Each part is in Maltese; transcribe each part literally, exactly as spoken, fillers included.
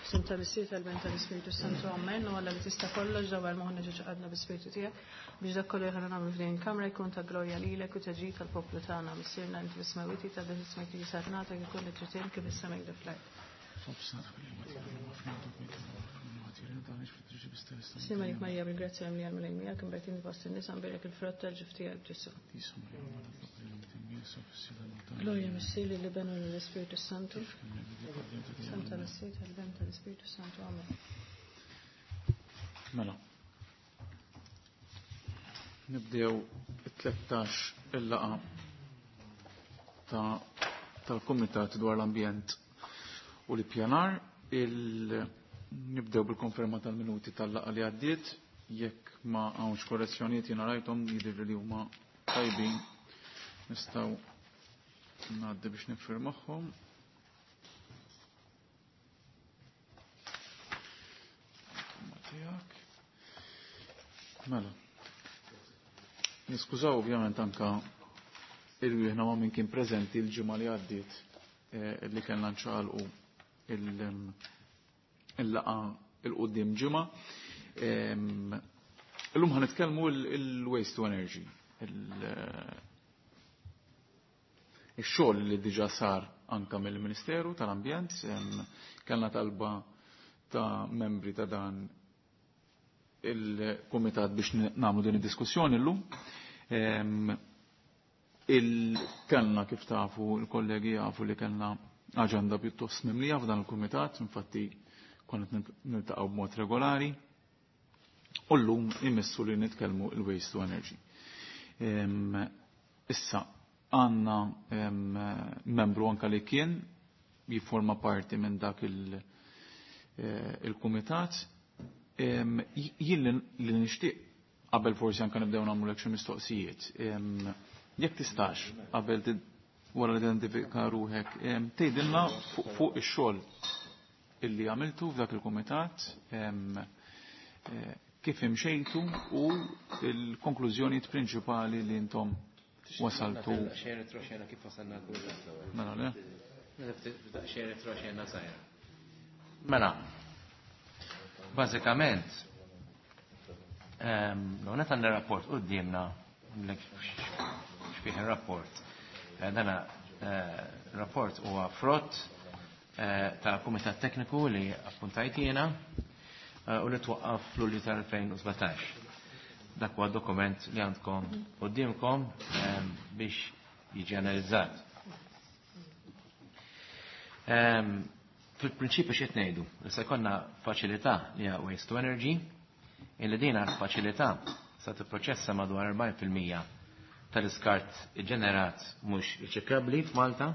F'isem tal-Missier, tal-Iben, tal-Ispirtu Santu, Amen. U Alla li tista' kollox, dawwar moħħna ġo qalbna bl-Ispirtu tiegħek biex dak kollu li aħna nagħmlu f'din il-kamra jkun ta' glorja lilek u ta' ġid tal-poplu tagħna. Missierna inti fis-smewwiet, jitqaddes ismek, tiġi saltnatek, ikun li trid kif is-sema fl-art. Sliem għalik Marija, bil-grazzja mimlija, l-Mulej miegħek, imberkin fost in-nisa, mbierek il-frott tal-ġuf tiegħek Ġesù. Glorja Missier, lill-Iben u lill-Ispirtu Santu. F'isem tal-Missier, tal-Iben, tal-Ispirtu Santu. Amen. Mela. Nibdew it-tlettax il-laqgħa ta' tal-Kumitat dwar l-Ambjent u l-Ippjanar. Il nibdew bil-konferma tal-minuti tal-laqgħa li għaddiet. Jekk ma hawnx korrezzjonijiet jiena rajthom jidhir li huma tajbin, nistgħu ngħaddi biex niffirmahom. Tiegħek. Mela. Niskużaw ovvjament anka irwieħna ma' min kien preżenti l-ġimgħa li għaddiet eh, li kellna nċaqalqu il-laqgħa il-qudiem ġimgħa. Illum ħa nitkellmu il-waste to energy. Ix-xogħol li diġà sar anka mill-Ministeru tal-Ambjent, kellna talba ta' membri ta' dan il-kumitat biex nagħmlu din id-diskussjoni llum. Il-kellna kif tafu, il-kollegi jafu li kellna aġenda pjuttost mimlija f'dan il-kumitat, infatti konna niltaqgħu b'mod regolari, u llum imissu li nitkellmu il-waste to energy. Issa għandna membru anka li kien jifforma parti minn dak il-kumitat. Jien li nixtieq qabel forsi anka nibdew nagħmlu xi mistoqsijiet. Jekk tistax qabel wara li identifika ruħek, tgħidilna fuq ix-xogħol illi għamiltu f'dak il-kumitat, kif imxejtu u l-konklużjonijiet prinċipali li intom wasaltu. Xejn retroxena kif wasalna l-kumitat l-ewwel. Mela le? Xejn retroxena sajra. Mela, bażikament, l-għonet għandna rapport quddiemna, x'fih ir-rapport. Dana rapport huwa frott ta' kumitat tekniku li appuntajt jiena u li twaqqaf fl-Lulju tal-elfejn u sbatax. Dak huwa dokument li għandkom quddiemkom biex jiġi analizzat. Fil-prinċipju x'qed ngħidu? Li se jkollna faċilità li hija waste to energy, illi din faċilità sa tipproċessa madwar erbgħin fil-mija tal-iskart ġenerat mhux riċiklabbli f'Malta,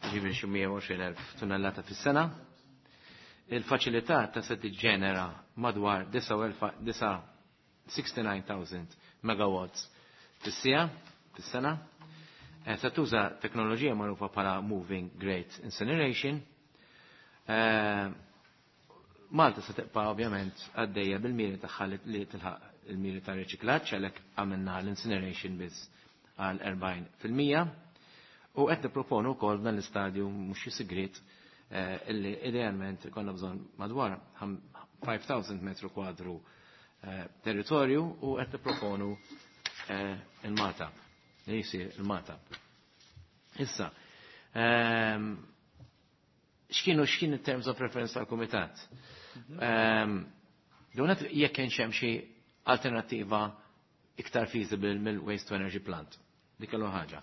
ġifieri xi mija u għoxrin elf tunnellata fis-sena. Il-faċilità ta' se tiġġenera madwar sixty-nine thousand megawatts fis-sija, fis-sena. Se tuża teknoloġija magħrufa bħala Moving Grate Incineration. Malta se tibqa' ovvjament għaddejja bil-miri tagħha li tilħaq il-miri ta' riċiklaġġ, għalhekk għamilna l-incineration biss għal erbgħin fil-mija. U qed nipproponu wkoll f'dan l-istadju mhux xi sigriet illi idealment ikollna bżonn madwar five thousand metru kwadru territorju u qed nipproponu il-Magħtab, li jsir il-Magħtab. Issa, x'kienu x'kien in terms of reference tal-kumitat? Donat jekk kienx hemm xi alternattiva iktar feasible mill-waste to energy plant. Dik l ħaġa.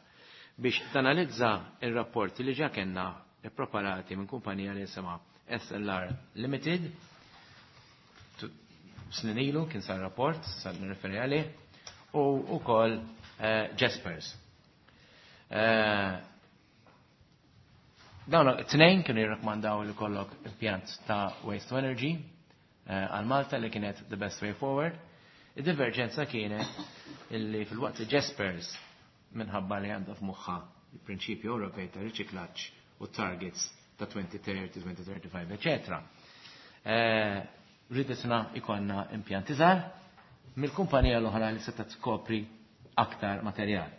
Biex tanalizza il-rapporti li ġa kellna ippreparati minn kumpanija li jisimha S L R Limited, snin ilu kien sar rapport, sar nirreferi għalih, u wkoll Jaspers. Dawn it-tnejn kienu jirrakkomandaw li kollok impjant ta' waste to energy għal Malta li kienet the best way forward. Id-diverġenza kienet illi fil-waqt li Jaspers minħabba li għandha f'moħħha il-prinċipju Ewropej ta' riċiklaġġ u targets ta' twenty thirty, twenty thirty-five, eccetera. Ridetna ikonna impjanti żgħar mill-kumpanija l-oħra li seta' tkopri aktar materjal.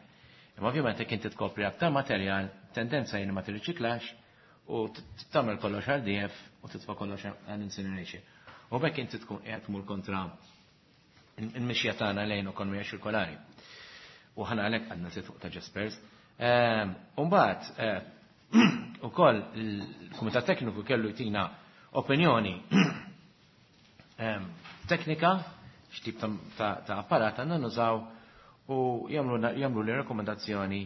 Imma ovvjament jekk inti tkopri aktar materjal, tendenza jien ma tirriċiklax u tagħmel kollox R D F u titfa' kollox għal incineration. U b'hekk inti tkun qiegħed tmur kontra il-mixja tagħna lejn ekonomija ċirkolari. U ħana għalhekk għandna sit fuq ta' Jaspers. Umbagħad ukoll il-Kumitat Tekniku kellu jtina opinjoni teknika x'tip ta' apparat għandna nużaw u jagħmlu li rekomendazzjoni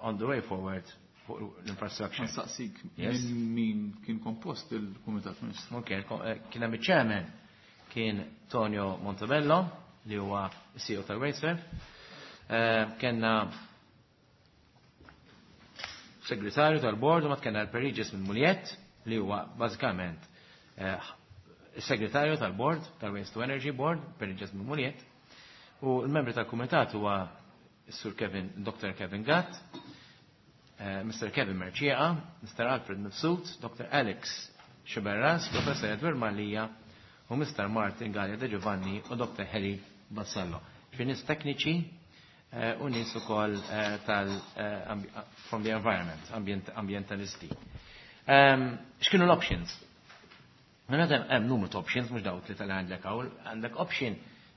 on the way forward fuq l-infrastructure. Nsaqsik, minn min kien kompost il-Kumitat, Ministru? Ok, kien hemm il-chairman, kien Tonio Montebello, li huwa C E O tal-WasteServ. Kenna segretarju tal-board u mat kenna l-Perigis minn Muliet, li huwa bażikament segretarju tal-board, tal-Waste to Energy Board, Perigis minn Muliet. U l-membri tal-kumitat huwa Sur Kevin, Doctor Kevin Gatt, Mister Kevin Mercieca, Mister Alfred Mifsud, Doctor Alex Sciberras, Professor Edward Mallia u Mister Martin Gallia De Giovanni u Doctor Harry Vassallo. Fi nies tekniċi u nies ukoll tal from the environment, ambient, ambientalisti. X'kienu l-options? Mela hemm numru ta' options, mhux dawk li tal għandek hawn, għandek option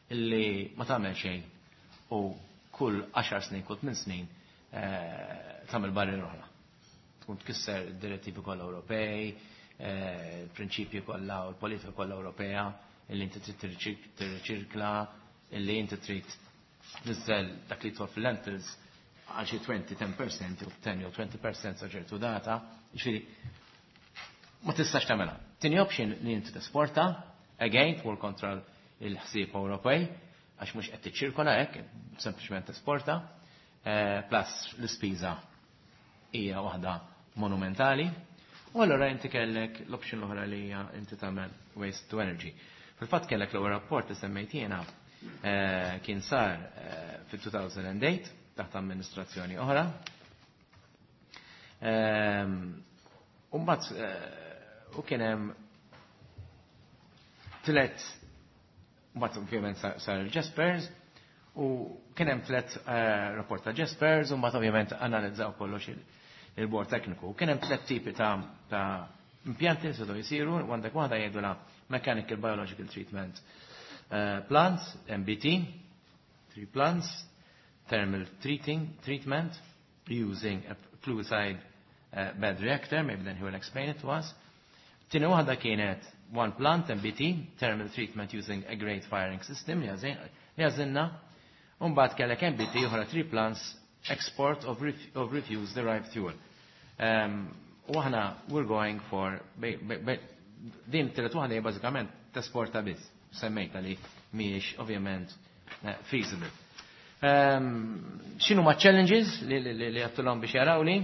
illi ma tagħmel xejn u kull għaxar snin, kull tmien snin tagħmel barriera oħra. Tkun tkisser id-direttivi kollha Ewropej, il-prinċipji kollha u l-politika kollha Ewropea, illi inti trid tirriċirkla, illi inti trid tniżżel dak li twa fil-landfills għal xi għoxrin, għaxra fil-mija jew għaxra jew għoxrin fil-mija sa ċertu data, jiġifieri ma tistax tagħmilha. Tieni option li inti tesporta, again tmur kontra il-ħsieb Ewropej, għax mhux qed tiċċirkola hekk, sempliċement tesporta, plus l-ispiża hija waħda monumentali. U allura inti kellek l-option l-oħra li hija inti tagħmel waste to energy. Fil-fatt kellek l-ewwel rapport li semmejt jiena kien sar fil-elfejn u tmienja taħt amministrazzjoni oħra. U mbagħad u kien hemm tliet, mbagħad ovvjament sar il-Jaspers u kien hemm tliet rapport ta' Jaspers u mbagħad ovvjament analizzaw kollox il-bord tekniku. Kien hemm tliet tipi ta' impjanti li setgħu jsiru, għandek waħda jgħidula Mechanical Biological Treatment Plants, M B T, three plants, thermal treating, treatment using a fluid uh, bed reactor, maybe then he will explain it to us. Tieni waħda kienet one plant M B T, thermal treatment using a grate firing system li għażilna. Umbagħad kellek M B T oħra, three plants, export of, ref of refuse derived fuel. Um, u aħna we're going for din tielet waħda hija bażikament tesporta biss. Semmejta li mhijiex ovvjament feasible. Um, X'inhu ma challenges li li li għattulhom biex jaraw li?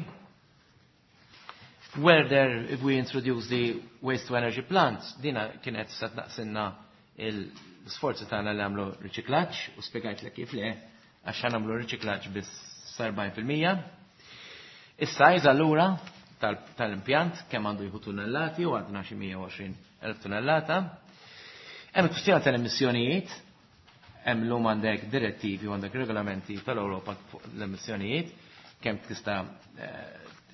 Whether if we introduce the waste to energy plants, dina kienet sa tnaqsinna l-sforzi tagħna li għamlu riċiklaġġ u spjegajt lek kif le, għax nagħmlu riċiklaġġ biss erbgħin fil-mija. Is-size allura tal-impjant kemm għandu jieħu tunnellati u għadna xi mija u għoxrin elf tunnellata. Hemm kwistjoni tal-emissjonijiet, hemm lum għandek direttivi u għandek regolamenti tal-Ewropa fuq l-emissjonijiet, kemm tista'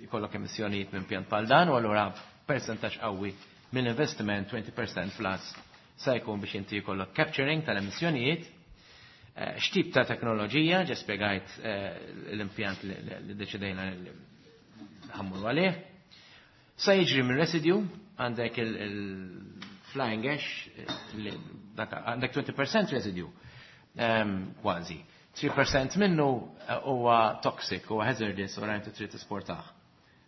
jkollok emissjonijiet minn pjant bħal dan, u allura percentaġġ qawwi mill-investiment, għoxrin fil-mija plus, sa jkun biex inti jkollok capturing tal-emissjonijiet. X'tip ta' teknoloġija, ġa spjegajt l-impjant li deċidejna li ħa mmorru għalih. Sa jiġri minn residue, għandek il-flying ash, għandek għoxrin fil-mija residue, kważi. tlieta fil-mija minnu huwa toxic, huwa hazardous, u rajn trid tesportah.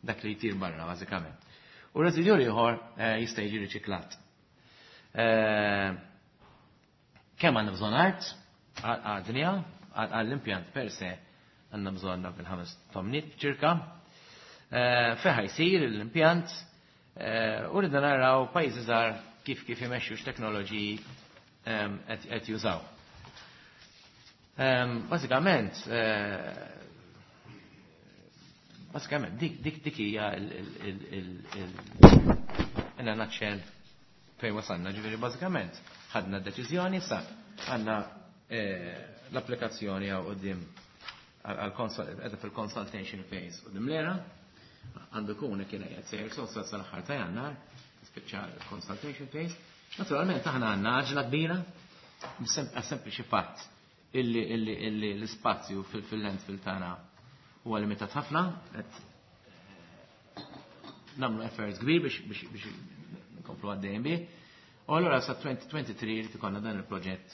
Dak li jtir barra, bażikament. U residue ieħor jista' jiġi riċiklat. Kemm għandna bżonn art għad-dinja, għall-impjant per se għandna bżonn fil-ħames tomnit ċirka. Fejn ħa jsir l-impjant u rridna naraw pajjiżi żgħar kif kif imexxu, x'teknoloġiji qed jużaw. Bażikament, bażikament dik dik dik hija il in a nutshell fejn wasalna, ġifieri bażikament ħadna d-deċiżjoni, sa għandna l-applikazzjoni għaw quddiem għal fil-consultation phase quddiem l-E R A. Għandu kun kien qed sejjer sod sal-aħħar ta' Jannar, tispiċċa consultation phase. Naturalment aħna għandna għaġla kbira, sempliċi fatt illi illi illi l-ispazju fil-landfill tagħna huwa limitat ħafna, qed nagħmlu effort kbir biex biex biex nkomplu għaddejjin bih. U allura sa twenty twenty-three li ikollna dan il-proġett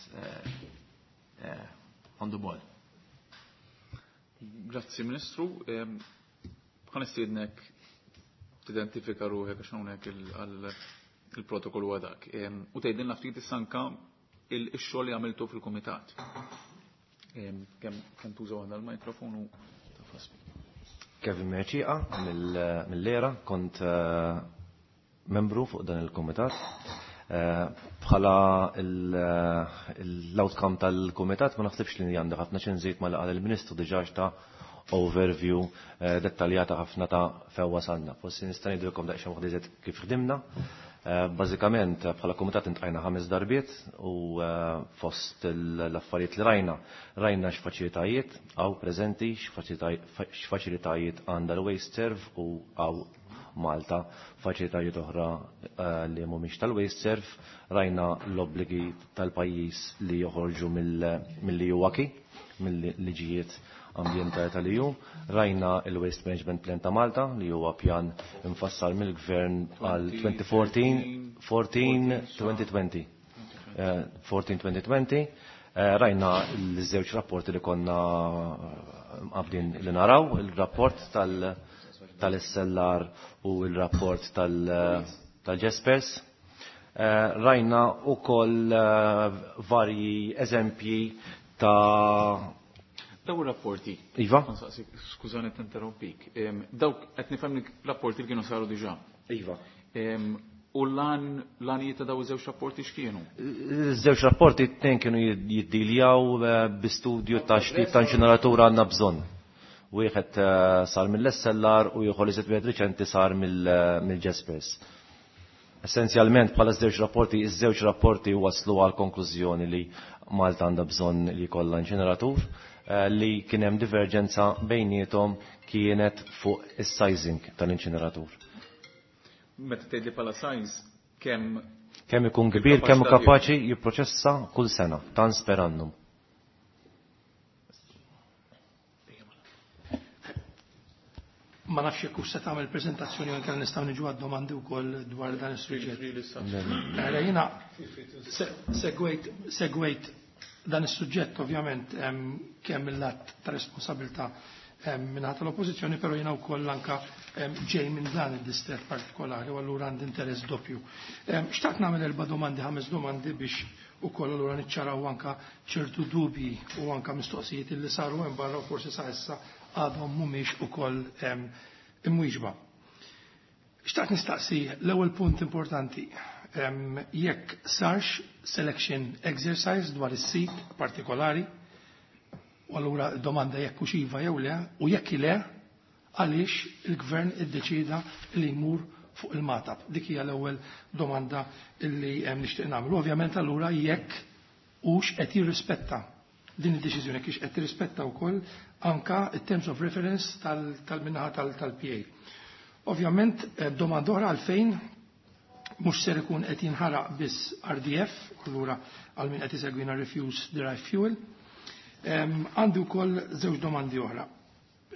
on the ball. Grazzi, Ministru. Ħa nistiednek tidentifika ruħek għax hawnhekk il-protokoll huwa dak. U tgħidilna ftit issa anka il-xogħol li għamiltu fil-kumitat. Kemm tużaw għandha l-mikrofonu tafas. Kevin Merċiqa mill-Lera, kont eh, membru fuq dan il-komitat. Eh, bħala l-outcome tal-komitat ma naħsibx li għandha ħafna x'inżid ma qal il-Ministru, diġà ta overview eh, dettaljata ħafna ta' fejn wasalna. Forsi nista' ngħidilkom daqsxejn waħda kif ħdimna. Eh, bażikament bħala komitat iltqajna ħames darbiet u fost l-affarijiet li rajna, rajna x'faċilitajiet hawn preżenti, x'faċilitajiet għandha l-WasteServ u hawn Malta faċilitajiet oħra li mhumiex tal-WasteServ, rajna l-obbligi tal-pajjiż li joħorġu mill-E U acquis, mill-liġijiet ambjentali tal-E U, rajna il-Waste Management Plan ta' Malta li huwa pjan infassal mill-gvern għal twenty fourteen twenty twenty. fourteen twenty twenty. Rajna l-żewġ rapporti li konna qabdin li naraw, il-rapport tal- tal-S L R u il-rapport tal-Jaspers. Rajna u koll varji eżempji ta' Daw rapporti. Iva? Skużani tinterrompik. Dawk qed nifhem rapporti li kienu saru diġà. Iva. U l-għan l-għanijiet ta' daw iż-żewġ rapporti x'kienu? Żewġ rapporti, t-tnejn kienu jiddiljaw bi studju ta' x'tip ta' inċineratura għandna bżonn. Wieħed sar mill-S L R u ieħor li wieħed riċenti sar mill-Jaspers. Essenzjalment bħala żewġ rapporti, iż-żewġ rapporti waslu għal konklużjoni li Malta għandha bżonn li jkollha inċineratur, li kien hemm diverġenza bejniethom kienet fuq is-sizing tal-inċineratur. Meta tgħidli bħala size, kemm kemm ikun kbir, kemm kapaċi jipproċessa kull sena, tons per annum. Ma nafx jekk se tagħmel preżentazzjoni anke nistgħu niġu għad-domandi wkoll dwar dan is-suġġett. Mela jiena segwejt segwejt dan is-suġġett ovvjament kemm il-lat ta' responsabilità minn tal-oppożizzjoni, però jiena wkoll anka ġej minn dan id-distret partikolari u allura għandi interess doppju. Xtaqt nagħmel erba' domandi, ħames domandi biex ukoll allura niċċaraw anka ċertu dubji u anka mistoqsijiet li saru hemm barra u forsi sa issa għadhom mhumiex ukoll imwieġba. Xtaqt nistaqsi l-ewwel punt importanti, jekk sarx selection exercise dwar is-sit partikolari, u allura domanda jekk hux iva jew le, u jekk le, għaliex il-gvern iddeċida li jmur fuq il-Magħtab. Dik hija l-ewwel domanda illi nixtieq nagħmel. Ovvjament allura jekk hux qed jirrispetta din id-deċiżjoni, kiex qed tirrispetta wkoll anka it-terms of reference tal-minnaħa tal-P A. Ovvjament domanda oħra, għalfejn mhux ser ikun qed jinħaraq biss R D F, allura għal min qed isegwina refuse derived fuel. Għandi wkoll żewġ domandi oħra.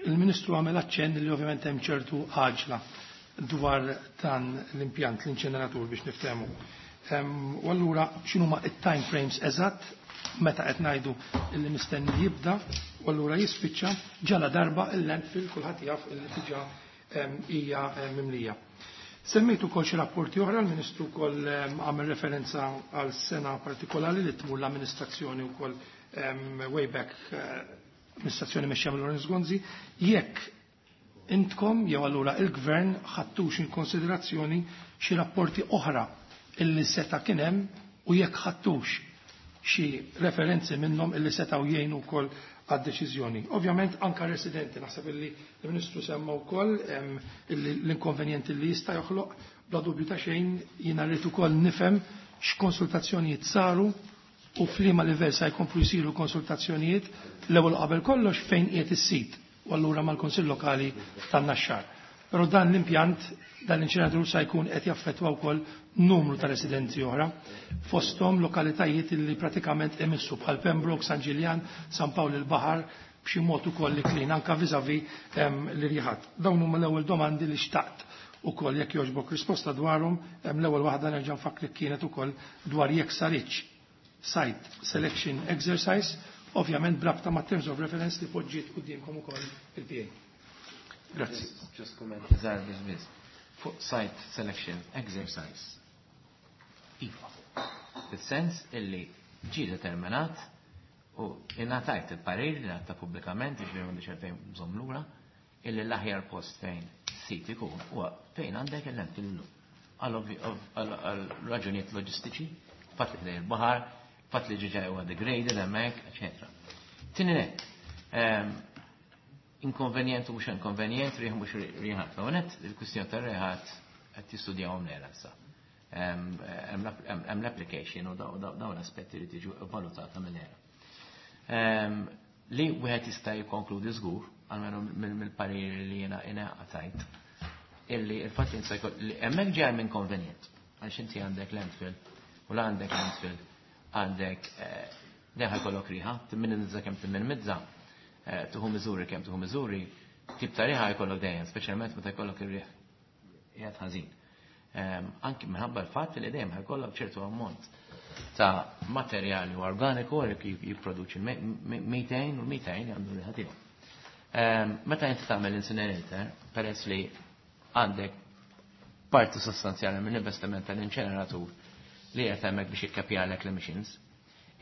Il-Ministru għamel aċċenn li ovvjament hemm ċertu għaġla dwar dan l-impjant, l-inċeneratur biex niftehmu. U allura x'inhuma it-time frames eżatt meta qed ngħidu illi mistenni jibda u allura jispiċċa, ġala darba il-landfill kulħadd jaf illi diġà hija mimlija? Semmejtu kol xi rapporti oħra, l-Ministru wkoll għamel referenza għal sena partikolari li tmur l-amministrazzjoni wkoll way back, amministrazzjoni mexxija mill Lawrence Gonzi, jekk intkom jew allura il-gvern ħattux in konsiderazzjoni xi rapporti oħra illi seta' kien hemm u jekk ħattux xi referenzi minnhom illi setgħu jgħinu wkoll għad-deċiżjoni. Ovvjament anka residenti, naħseb illi l-Ministru semma wkoll l-inkonvenjenti li jista' joħloq, bla dubju ta' xejn jiena rrid ukoll nifhem x'konsultazzjonijiet saru u f'liema livell sa jkomplu jsiru konsultazzjonijiet, l-ewwel qabel kollox fejn qiegħed is-sit u allura mal-Kunsill Lokali tan-Naxxar. Però dan l-impjant, dan l-inċineratur sa jkun qed jaffettwa wkoll numru ta' residenzi oħra, fosthom lokalitajiet li pratikament emissu bħal Pembroke, San Ġiljan, San Pawl il-Baħar, b'xi mod ukoll li klin anka viżavi l-irjiħat. Dawn huma l-ewwel domandi li xtaqt ukoll jekk jogħġbok risposta dwarhom. L-ewwel waħda nerġa' nfakkri kienet ukoll dwar jekk saritx site selection exercise, ovvjament brabta ma' terms of reference li poġġiet quddiemkom ukoll il-P A. Grazzi. Just comment żgħar biss biss. Fuq site selection exercise. Iva. Fis-sens illi ġie determinat u ingħatajt il-parir li ngħata pubblikament, jiġifieri m'għandix għalfejn bżonn lura, illi l-aħjar post fejn sit ikun huwa fejn għandek il-landfill illum. Għal raġunijiet loġistiċi, fatt li ħdej il-baħar, fatt li ġiġa huwa degraded hemmhekk, eċetera. Tieni nett, inkonvenjent u mhux inkonvenjent, riħ mhux riħat. L-ewwel il-kwistjoni tar-riħat qed jistudjawhom l-era issa. Hemm l-application u dawn l-aspetti li tiġu valutata mill-era. Li wieħed jista' jikkonkludi żgur, almenu mill-parir li jiena ingħatajt, illi il-fatt li li hemmhekk ġej minn konvenjent, għax inti għandek landfill u la għandek landfill għandek deħa jkollok riħa, timminimizza kemm timminimizza, tuħu miżuri kemm tuħu miżuri, tip ta' riħa jkollok dejjem, speċjalment meta jkollok ir-riħ qiegħed ħażin. Anki minħabba l-fatt li dejjem ħajkollok ċertu ammont ta' materjali u organiku li jipproduċi methane u methane għandu riħa tiegħu. Meta inti tagħmel incinerator, peress li għandek parti sostanzjali mill-investiment tal-inċeneratur li qed hemmhekk biex jikkapjalek l-emissions,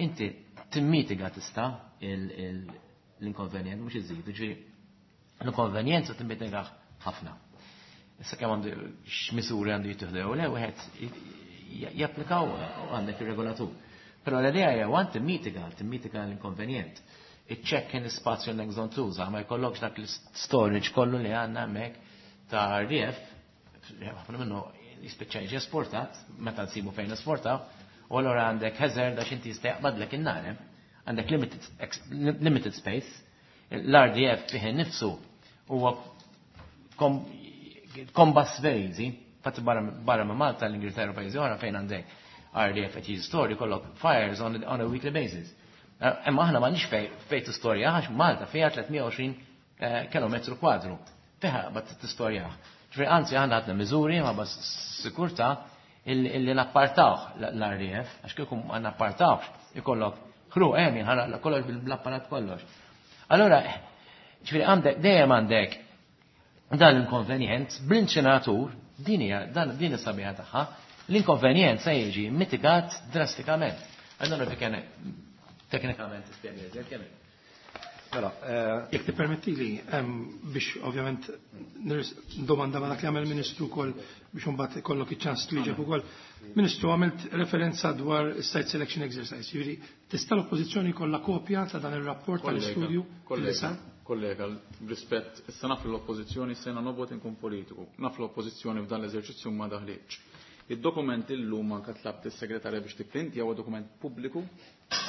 inti timmitiga tista' l-inkonvenjent mhux iżid, jiġifieri l-inkonvenjenza timmitiga ħafna. Issa kemm għandu x'miżuri għandu jittieħdu jew le wieħed japplikaw għandek ir-regolatur. Però l-idea hija għand timmitiga, timmitiga l-inkonvenjent. Iċċekk l-ispazju għandek bżonn tuża, ma jkollokx dak l-storage kollu li għandna hemmhekk ta' R D F, ħafna minnu jispiċċa jiġi esportat, meta nsibu fejn esportaw, u allura għandek hazard għax inti jista' jaqbadlek in-nar, għandek limited, limited space, l-R D F fih innifsu huwa combust very easy, fatt barra minn Malta, l-Ingilterra u pajjiżi oħra fejn għandek R D F qed jiġi storja jkollok fires on, on a weekly basis. Imma aħna m'għandniex fej, fejn tistorja għax Malta fiha tliet mija u għoxrin kilometru kwadru. Fiha bad tistorja. Ġifieri anzi aħna għandna miżuri ma bas sikurtà illi nappartawh l-R D F, għax kieku ma nappartawhx ikollok ħruq hemm jinħaraq kollox bl-apparat kollox. Allora, ġifieri għandek dejjem għandek dan l-inkonvenjent bl-inċinatur, din hija dan din is-sabiħa tagħha, l-inkonvenjent se jiġi mitigat drastikament. Allora fi kien teknikament tispjega iżjed kemm. Mela, eh, jekk tippermettili, biex ovvjament domanda ma dak li għamel Ministru wkoll biex imbagħad ikollok iċ-ċans twieġeb ukoll. Ministru, għamilt referenza dwar site selection exercise. Jiġifieri tista' l-oppożizzjoni jkollha kopja ta' dan ir-rapport tal-istudju li sar? Kollega, rispett, issa naf l-oppożizzjoni sena nobgħod inkun politiku. Naf l-oppożizzjoni f'dan l-eżerċizzju ma daħlietx. Id-dokument illum anke tlabt is-segretarja biex tipprintja huwa dokument pubbliku,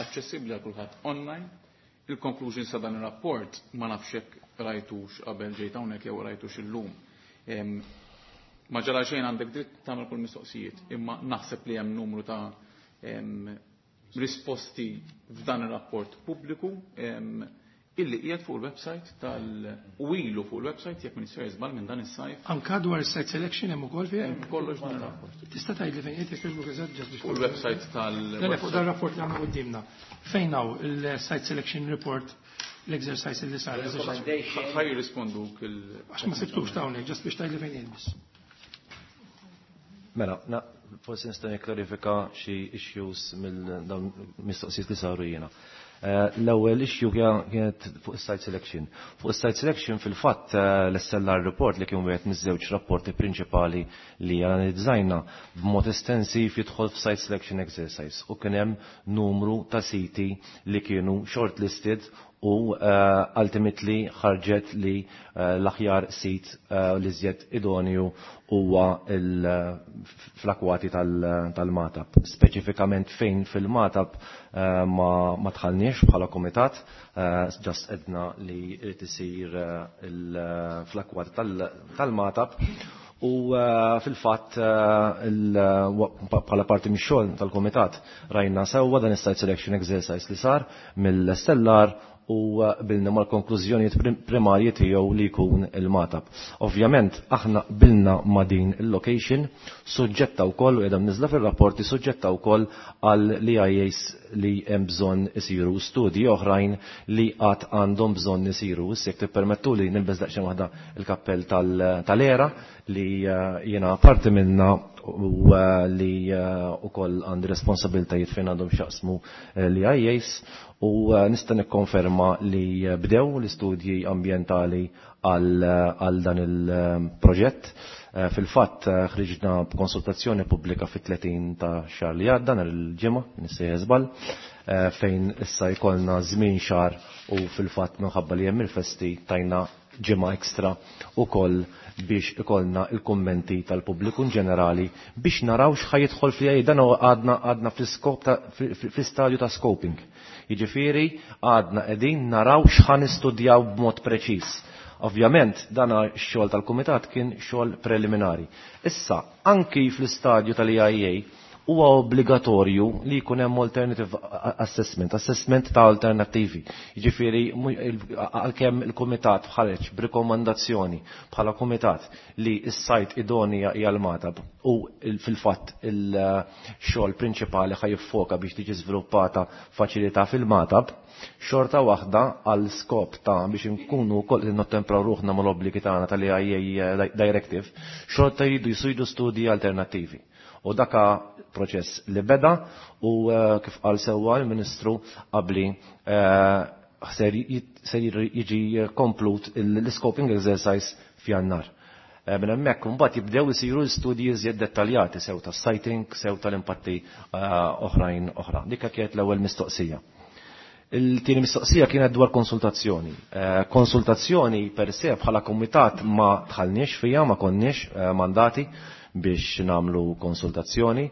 aċċessibbli għal kulħadd online. Il-conclusion sa dan ir-rapport ma nafx hekk rajtux qabel ġejt hawnhekk jew rajtux illum. Ma ġara xejn għandek dritt tagħmel kull mistoqsijiet, imma naħseb li hemm numru ta' em, risposti f'dan ir-rapport pubbliku, em, illi qiegħed fuq il-website tal u ilu fuq il-website jekk min jisir żball minn dan is-sajf. Anka dwar site selection hemm ukoll fih? Hemm kollox dan ir-rapport. Tista' tgħidli fejn qiegħed jekk eżatt ġast biex Fuq il-website tal Le, le, fuq dan ir-rapport li għandna quddiemna. Fejn hawn il-site selection report, l-exercise li sar, l-exercise. Ħaj jirrisponduk il- Għax ma sibtux ta' hawnhekk, ġast biex tgħidli fejn qiegħed biss. Mela, na, forsi nista' nikklarifika xi issues mill-dawn mistoqsijiet li saru jiena. Eh, l-ewwel issue kienet fuq is-site selection. Fuq is-site selection fil-fatt, eh, l-S L R report li kien wieħed miż-żewġ rapporti prinċipali li analizzajna b'mod estensiv jidħol f'site selection exercise u kien hemm numru ta' siti li kienu shortlisted u, eh, ultimately ħarġet li, eh, l-aħjar sit, eh, li żjed idonju huwa il-, fl-akwati fl-akkwati tal-Magħtab. Speċifikament fejn fil-Magħtab ma, ma tħallniex bħala komitat, just edna li irid isir fl-akkwati tal-Magħtab. U fil-fatt bħala parti mix-xogħol tal-komitat rajna sewwa dan is-site selection exercise li sar mill-Stellar u bilna mal-konklużjonijiet primarji tiegħu li jkun il-Magħtab. Ovvjament aħna bilna ma' din il-location suġġetta wkoll u qiegħda mniżla fir-rapporti suġġetta wkoll għal l-E I As li hemm bżonn isiru, studji oħrajn li qatt għandhom bżonn isiru. Issa jekk tippermettuli nilbes daqsxejn waħda il-kappell tal-ERA li jiena parti minna u li ukoll għandi responsabiltajiet fejn għandhom x'jaqsmu l-E I As u nista' nikkonferma li bdew l-istudji ambjentali għal dan il-proġett. Fil-fatt ħriġna b'konsultazzjoni pubblika fit-tletin ta' xahar li għadda, nhar il-Ġimgħa, nissejjer żball, fejn issa jkollna żmien xahar u fil-fatt minħabba li hemm il-festi tajna ġimgħa ekstra ukoll biex ikollna il-kummenti tal-pubbliku in ġenerali biex naraw x'ħa jidħol fl dan. Għadna għadna fl-iskop fl-istadju ta' scoping. Jiġifieri għadna qegħdin naraw x'ħa nistudjaw b'mod preċiż. Ovvjament, dan x-xogħol tal-kumitat kien xogħol preliminari. Issa, anki fl-istadju tal-E I A huwa obbligatorju li jkun hemm alternative assessment, assessment ta' alternattivi. Jiġifieri għalkemm il-kumitat ħareġ b'rikomandazzjoni bħala kumitat li s-site idonea hija l-Magħtab u fil-fatt il-xogħol prinċipali ħa jiffoka biex tiġi żviluppata faċilità fil-Magħtab, xorta waħda għal skop ta' biex nkunu wkoll nottempraw ruħna mal-obbligi tagħna tal-E I A Directive, xorta jridu jsiru studji alternattivi. U daka proċess li beda u kif qal sewwa l-Ministru qabli, ser jiġi komplut l-scoping exercise f'Jannar. Minn hemmhekk imbagħad jibdew isiru studji iżjed dettaljati sew tas-siting, sew tal-impatti oħrajn oħra. Dik kienet l-ewwel mistoqsija. Il-tieni mistoqsija kienet dwar konsultazzjoni. Konsultazzjoni per se bħala komitat ma dħalniex fija, ma konniex mandati biex namlu konsultazzjoni.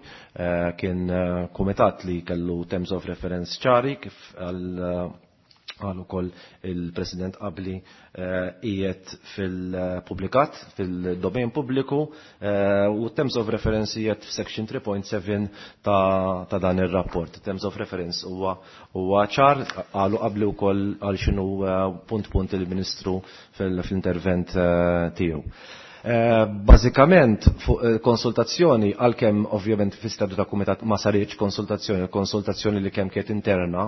Kien komitat li kellu terms of reference ċari, kif għal għal ukoll il-President qabli, qiegħed fil-publikat, fil-domain pubbliku, u terms of reference qiegħed f'section three point seven ta', ta dan ir-rapport. Terms of reference huwa huwa ċar, qalu qabli wkoll għal x'inhu punt punt il-Ministru fil-intervent tiegħu. Bażikament fuq konsultazzjoni, għalkemm ovvjament fi stadju ta' kumitat ma saritx konsultazzjoni, konsultazzjoni li kemm kienet interna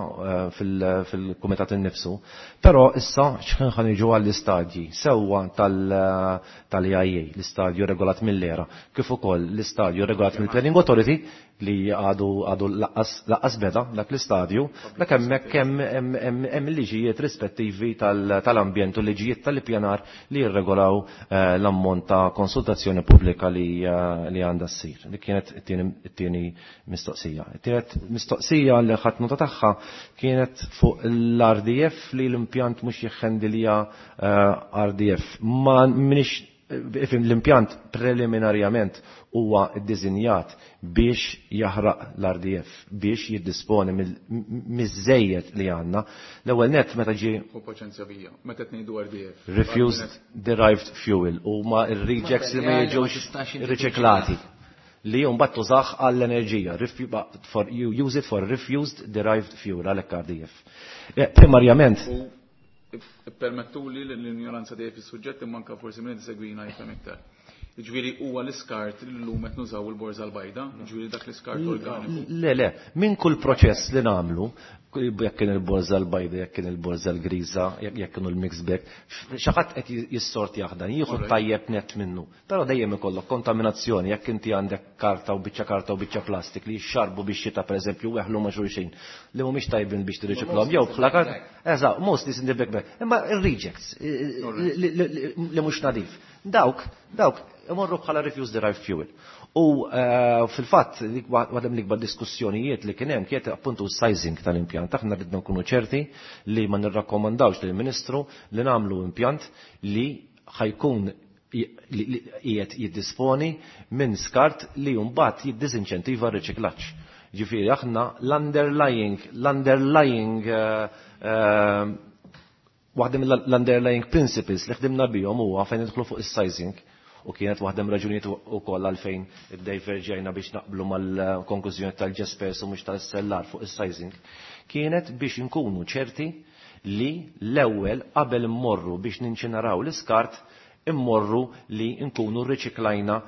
fil-kumitat innifsu, però issa x'ħin ħa niġu għall-istadji sewwa tal-E I A, l-istadju regolat mill-ERA, kif ukoll l-istadju regolat mill-Planning Authority li għadu għadu lanqas beda dak l-istadju, dak hemmhekk hemm liġijiet rispettivi tal-ambjent u liġijiet tal-ippjanar li jirregolaw l-ammont ta' konsultazzjoni pubblika li għandha ssir. Dik kienet it-tieni mistoqsija. It-tielet mistoqsija li ħadt nota tagħha kienet fuq l-R D F, li l-impjant mhux jiħħendilja R D F. Ma minix l-impjant preliminarjament huwa ddisinjat biex jaħraq l-R D F, biex jiddisponi miż-żejjed li għandna. L-ewwel net meta ġie U paċenzja bija, meta tgħidu R D F. Refused Derived Fuel huma r-rejects li ma jiġux riċiklati li mbagħad tużah għall-enerġija. You use it for refused derived fuel, għalhekk R D F. Primarjament Permettu li l-ignoranza tiegħi fis-suġġett, imma anke forsi minn segwina jifhem iktar. Ġifieri huwa l-iskart li llum qed nużaw il-borża l-bajda, ġifieri dak l-iskart organiku. Le, le, minn kull proċess li nagħmlu, jekk kien il-borża l-bajda, jekk kien il-borża l-griża, jekk kienu l-mix bag, xi ħadd qed jissort jaħdan, jieħu tajjeb net minnu. Però dejjem ikollok kontaminazzjoni jekk inti għandek karta u biċċa karta u biċċa plastik li jixxarbu biex xita, pereżempju, weħlu ma' xulxin li mhumiex tajbin biex tirriċiklhom jew bħala karta. Eżatt, mostly in the big bag. Imma ir-rejects li mhux nadif. Dawk, dawk imorru bħala refuse derived fuel. U fil-fatt, waħda mill-ikbar diskussjonijiet li kien hemm kienet appuntu sizing tal-impjant. Aħna ridna nkunu ċerti li ma nirrakkomandawx lill-Ministru li nagħmlu impjant li ħa jkun qiegħed jiddisponi minn skart li mbagħad jiddisinċentiva r-riċiklaġġ. Ġifieri aħna l-underlying l-underlying eh, waħda mill-underlying principles li ħdimna bihom huwa fejn nidħlu fuq is-sizing u kienet waħda raġunijiet ukoll għalfejn iddiverġejna biex naqblu mal-konklużjoni tal-Jaspers u mhux tal-S L R fuq is-sizing, kienet biex inkunu ċerti li l-ewwel qabel immorru biex ninċinaraw l-iskart, immorru li nkunu riċiklajna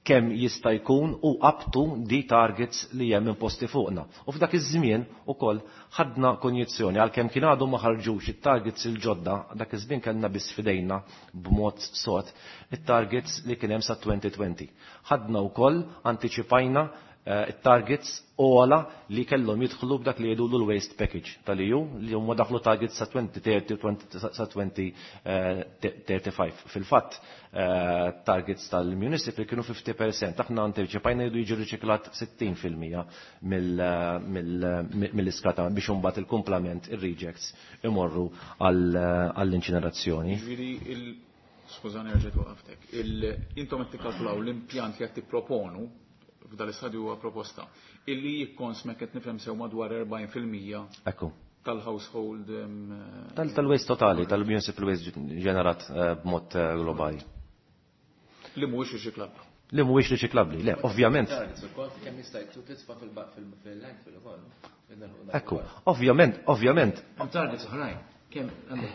kemm jista' jkun u up to the targets li hemm imposti fuqna. U f'dak iż-żmien ukoll ħadna konjizzjoni, għalkemm kien għadu ma ħarġux it-targets il-ġodda, dak iż-żmien kellna biss fidejna b'mod sod it-targets li kien hemm sa elfejn u għoxrin. Ħadna wkoll antiċipajna eh, it-targets ogħla li kellhom jidħlu b'dak li jgħidu l-waste package tal-E U, li huma daħlu targets sa elfejn u tletin u sa elfejn u tletin. Fil-fatt, eh, targets tal-municipal kienu ħamsin fil-mija, aħna antiċipajna jridu jiġu riċiklat sittin fil-mija mill-iskart biex imbagħad il-kumplament, ir-rejects, imorru għall-inċinerazzjoni. Ġifieri il skużani, rġajt waqaftek. Intom qed tikkalkulaw l-impjant li qed tipproponu f'dal-istadju huwa proposta illi jikkonsma, qed nifhem sew, madwar erbgħin fil-mija Ekku. tal-household em, Tal- Tal-waste totali, tal-municipal waste ġenerat eh, b'mod eh, globali. Li mhuwiex riċiklabbli. Li mhuwiex riċiklabbli, le, ovvjament. Kemm jista' titfa' fil-landfill ukoll. Ekku, ovvjament, ovvjament, Hemm targets oħrajn. Kemm għandek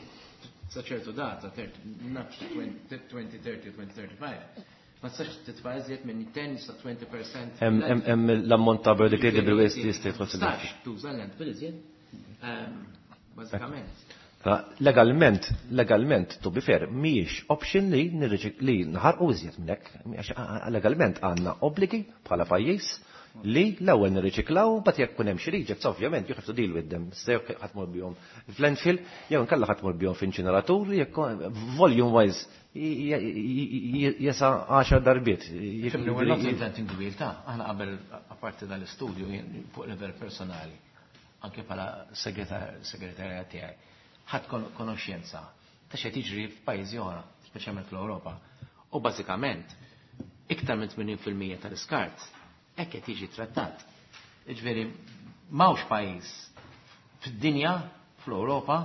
sa ċertu data, nafx elfejn u tletin u elfejn u tletin, ma tistax titfa' iżjed minn għaxra sa għoxrin fil-mija. hemm hemm- hemm l-ammont ta' biodegradable waste li jista' jidħol fil Tistax tuża l-landfill iżjed. Ehm, Bażikament. Legalment, legalment, to be fair, mhijiex option li nirriċik li naħarqu iżjed minn hekk, għax legalment għandna obbligi bħala pajjiż li l-ewwel nirriċiklaw, but jekk kun hemm xi rejects, ovvjament you have to deal with them. Se jekk ħa tmur bihom f'landfill, jew inkella ħa tmur bihom f'inċineratur, jekk volume wise jesa għaxar darbiet. Fimni, we're not inventing the wheel ta', aħna qabel, apparti dal-istudju, jien fuq livell personali, anke bħala segretarja tiegħi, ħadd konoxjenza ta' x'qed jiġri f'pajjiżi oħra, speċjalment fl-Ewropa. U bażikament, iktar minn tmenin fil-mija tal-iskart hekk qed jiġi trattat. Jiġifieri m'hawnx pajjiż fid-dinja, fl-Ewropa,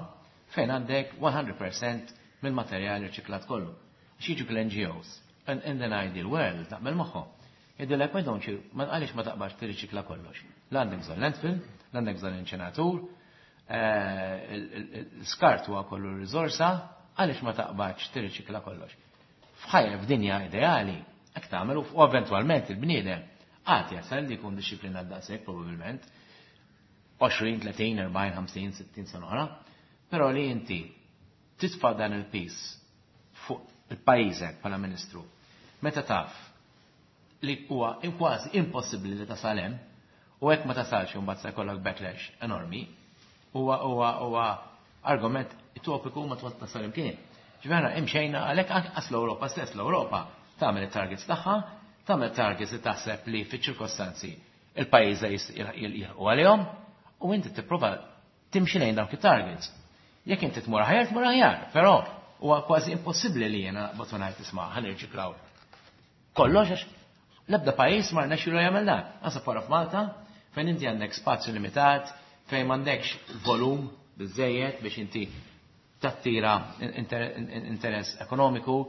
fejn għandek mija fil-mija mill-materjal riċiklat kollu. Għax jiġu l-N G Os. And in an ideal world, naqbel magħhom. Jgħidulek, why don't you, ma għaliex ma taqbax tirriċikla kollox? La għandek bżonn landfill, la għandek bżonn inċineratur, l-skart huwa kollu riżorsa, għaliex ma taqbax tirriċikla kollox? F'ħajja f'dinja ideali, hekk tagħmel u eventwalment il-bniedem għad jasal li jkun dixxiplinat daqshekk probabbilment għoxrin, tletin, erbgħin, ħamsin, sittin sena oħra, però li inti titfa' dan il-piż fuq il-pajjiżek bħala ministru, meta taf li huwa kważi impossibbli li tasal hemm, u hekk ma tasalx imbagħad se jkollok backlash enormi, huwa huwa huwa argument utopiku ma twat tasal imkien. Ġifieri imxejna għalhekk anqas l-Ewropa stess, l-Ewropa tagħmel it-targets tagħha, tagħmel targets li taħseb li fiċ-ċirkostanzi il-pajjiż jilħqu għalihom u inti tipprova timxi lejn dawk it-targets. Jekk inti tmur aħjar, tmur aħjar, però huwa kważi impossibbli li jiena botonajt isma' ħa nirċiklaw kollox, għax l-ebda pajjiż ma rnexxielu jagħmel dan. Asa wara f'Malta, fejn inti għandek spazju limitat, fejn m'għandekx volum biżejjed biex inti tattira interess ekonomiku,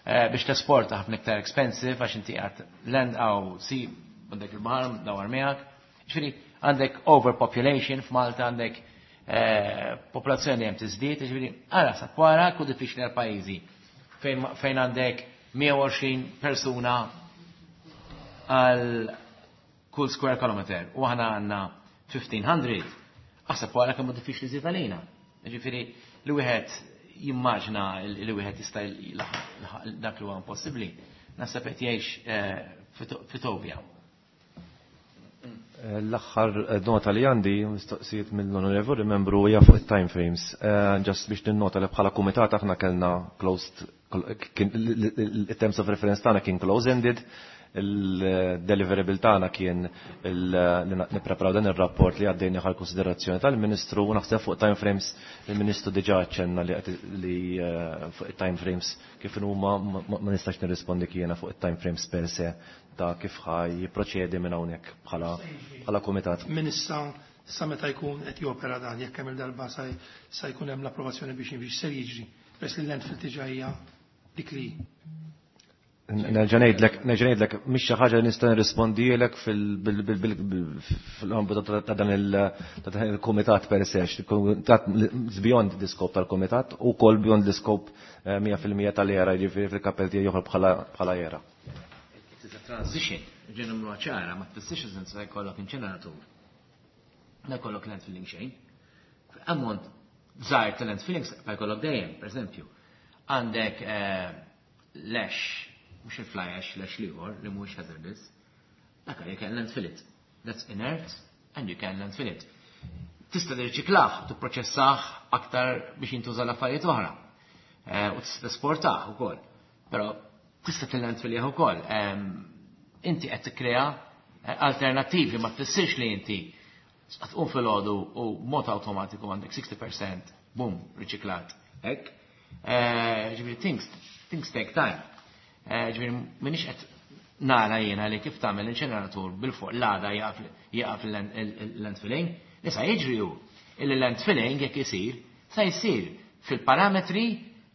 eh, biex tesporta ħafna iktar expensive għax inti għad land għaw si għandek il-baħar dawar miegħek. Ġifieri għandek overpopulation f'Malta, għandek eh, popolazzjoni hemm tiżdied, ġifieri ara sa wara ku diffiċli għal pajjiżi fejn għandek mija u għoxrin persuna għal kull square kilometer u aħna għandna elf u ħmiċ mija, aħseb wara kemm diffiċli żied għalina. Ġifieri li wieħed jimmaġna li wieħed jista' dak li huwa impossibbli, naħseb qed jgħix eh, f'utopja. L-aħħar nota li għandi, mistoqsijiet mill-onorevoli membru, hija fuq it-time frames. Eh, just biex ninnota li bħala kumitat aħna kellna closed, il-terms of reference tagħna kien close-ended, Il-deliverable tagħna kien li nippreparaw dan ir-rapport li għaddejna għal konsiderazzjoni tal-Ministru u naħseb fuq time frames il-Ministru diġà aċċenna li fuq it-time frames kif huma ma nistax nirrispondi jiena fuq it-time frames per se ta' kif ħaj jipproċedi minn hawnhekk bħala bħala kumitat. Min issa sa meta jkun qed jopera dan jekk hemm il-darba sa jkun hemm l-approvazzjoni biex biex ser jiġri peress li l-landfill diġà hija dik li Nerġa' ngħidlek, nerġa' ngħidlek mhix xi ħaġa li nista' nirrispondilek fil-ambitu ta' dan il-kumitat per se, il-kumitat beyond the scope tal-kumitat u wkoll beyond the scope mija fil-mija tal-era, jiġifieri fil-kappell tiegħi joħroġ bħala era. It is a transition, ġen nagħmluha ċara, ma tfissirx iżda se jkollok inċeneratur. Ma jkollok landfilling xejn. Ammont żgħir ta' landfilling ma jkollok dejjem, pereżempju. Għandek lex, mux il-fly ash, l-ash liħor, li mux hazardous, dak you can landfill it. That's inert, and you can landfill it. Tista' tirriċiklaħ, tipproċessah aktar biex jintuża l-affarijiet oħra. U tista' tesportah ukoll. Però tista' tillandfillih ukoll. Inti qed tikkrea alternattivi, ma tfissirx li inti tqum filgħodu u mod awtomatiku għandek sixty percent, boom, riċiklat. Hekk. Ġifieri things, things take time. Ġifieri m'iniex qed nara jiena li kif tagħmel inċeneratur bil-fuq l-għada jaqaf il-landfilling, li sa jiġri hu illi landfilling jekk isir sa jsir fil-parametri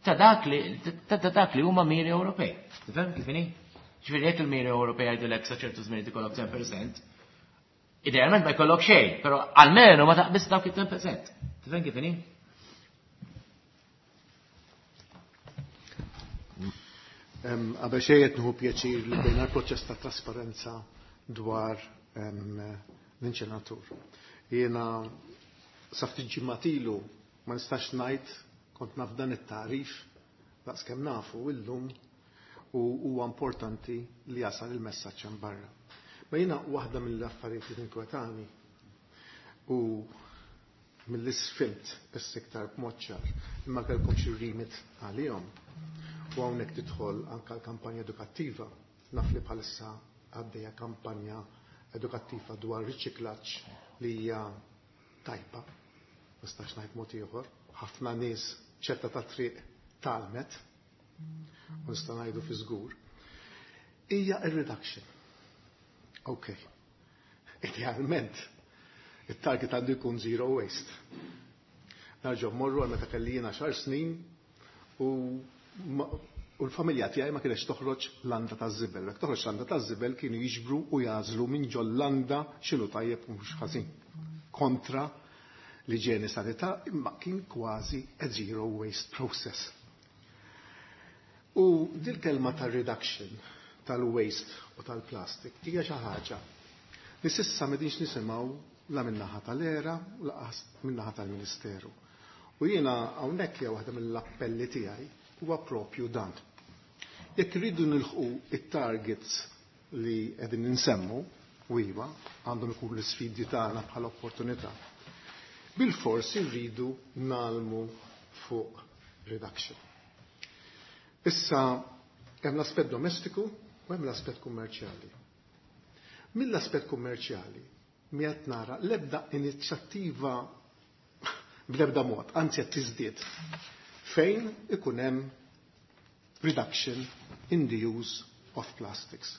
ta' dak li ta' dak li huma miri Ewropej. Tifhem kif inhi? Ġifieri jekk il-miri Ewropej jgħidulek sa ċertu żmien ikollok ten percent, idealment ma jkollok xejn, però almenu ma taqbiż dawk it-ten percent. Tifhem kif inhi? Qabel xejn qed nieħu pjaċir li bejna l-proċess ta' trasparenza dwar l-inċenatur. Jiena sa ftit ġimgħat ilu ma nistax ngħid kont naf dan it-tagħrif daqskemm nafu illum u huwa importanti li jasal il-messaġġ hemm barra. Ma jiena waħda mill-affarijiet li tinkwetani u mill-isfilt issa iktar b'mod ċar imma kellkom xi remit għalihom. U hawnhekk tidħol anke l-kampanja edukattiva. Naf li bħalissa għaddejja kampanja edukattiva dwar riċiklaġġ li hija tajba, ma nistax ngħid mod ieħor. Ħafna nies ċetta ta' triq talmet, u nista' ngħidu fi żgur. Hija ir-reduction. Ok. Idealment, it-target għandu jkun zero waste. Narġgħu mmorru għal meta kelli jiena xar snin u u l-familja tiegħi ma kienx toħroġ landa taż-żibel. Jekk toħroġ landa taż-żibel kienu jiġbru u jażlu minn ġol-landa x'inhu tajjeb u mhux ħażin. Kontra l-iġene sanità imma kien kważi a zero waste process. U dil-kelma tal-reduction tal-waste u tal-plastic hija xi ħaġa li s'issa m'qegħdinx nisimgħu la min-naħa tal-era u lanqas min-naħa tal-Ministeru. U jiena hawnhekk hija waħda mill-appelli tiegħi huwa propju dan. Jekk irridu nilħqu it-targets li qegħdin insemmu, u iva, għandhom ikunu l-isfidi tagħna bħala opportunità. Bil-fors irridu nalmu fuq reduction. Issa hemm l-aspett domestiku u hemm l-aspett kummerċjali. Mill-aspett kummerċjali mi qed nara l-ebda inizjattiva bl-ebda mod, anzi qed tiżdied fejn ikun hemm reduction in the use of plastics.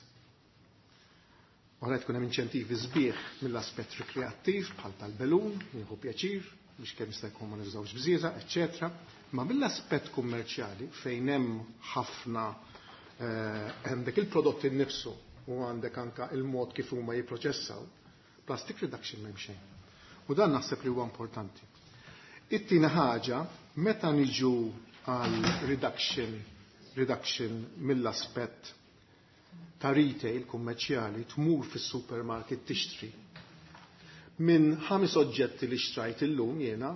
Ora tkun hemm inċentivi sbieħ mill-aspett rekreattiv bħal tal-belun, nieħu pjaċir biex kemm jista' jkun ma nużawx bżieża, eċċetera. Ma mill-aspett kummerċjali fejn hemm ħafna għandek il-prodott innifsu u għandek anka il-mod kif huma jipproċessaw, plastic reduction m'hemm xejn. U dan naħseb li huwa importanti. It-tieni ħaġa, meta niġu għal reduction, reduction mill-aspett ta' retail kummerċjali tmur fis-supermarket tixtri. Minn ħames oġġetti li xtrajt illum jiena,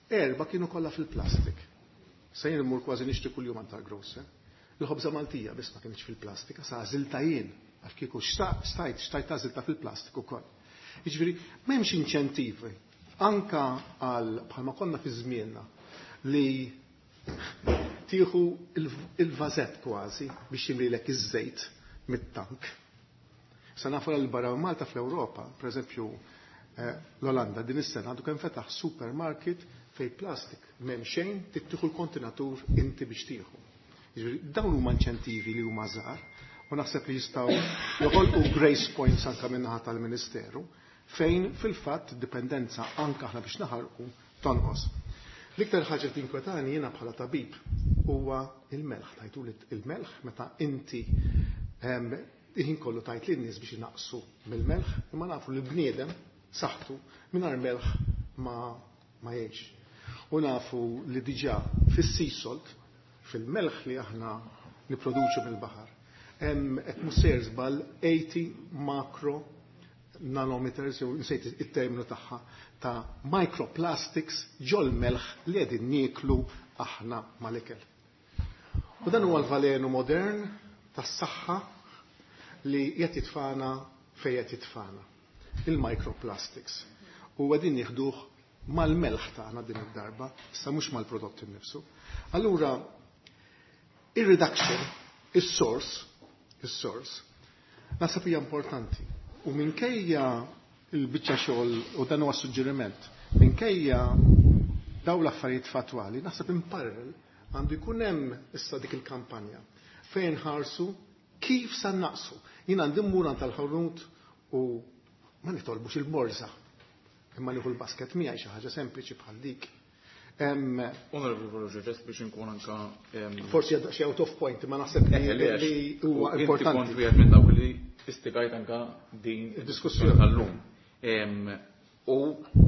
erba' kienu kollha fil-plastik. Se jien immur kważi nixtri kuljum għand tal-grocer. Il-ħobża Maltija biss ma kienx fil-plastika, sa għażilta jien, għax kieku stajt, xtajt għażilta fil-plastik ukoll. Jiġifieri m'hemmx inċentivi anka għal bħalma konna fi żmienna li tieħu il-vażett kważi biex jimlilek iż-żejt mit-tank. Sa nafu l barra Malta fl-Ewropa, per eżempju l-Olanda din is-sena għandu kemm fetaħ supermarket fej plastik m'hemm xejn tittieħu l-kontenatur inti biex tieħu. Jiġifieri dawn huma inċentivi li huma żgħar u naħseb li jistgħu joħolqu grace points anke min-naħa tal-Ministeru fejn fil-fatt dipendenza anke aħna biex naħarqu tonqos. L-iktar ħaġa tinkwetani jiena bħala tabib huwa il-melħ, tajtu il-melħ meta inti ħin kollu tajt lin-nies biex inaqsu mill-melħ, imma nafu li bniedem saħħtu mingħajr melħ ma ma jgħix. U nafu li diġà fis-sea salt, fil-melħ li aħna nipproduċu mill-baħar, hemm qed musser żball eighty macro nanometers, jew nsejt it-terminu tagħha, ta' microplastics ġol melħ li qegħdin nieklu aħna mal-ikel. U dan huwa l-valenu modern tas-saħħa li qed jitfana fejn qed jitfana, il-microplastics. U qegħdin nieħduh mal-melħ tagħna din id-darba, issa mhux mal-prodott innifsu. Allura, ir-reduction, is-source, is-source, naħseb hija importanti. U minkejja il-biċċa xogħol, u dan huwa suġġeriment, minkejja daw l-affarijiet fatwali, naħseb in parallel għandu jkun hemm issa dik il-kampanja fejn ħarsu kif sa naqsu. Jien għandi mmur għand tal-ħanut u ma nitolbux il-morza, imma nieħu l-basket miegħi xi ħaġa sempliċi bħal dik. Onorevoli Farrugia, ġest biex inkun anka forsi xi out of point, ma naħseb li huwa importanti. Kont wieħed minn dawk li istigajt anka din id-diskussjoni tal-lum. U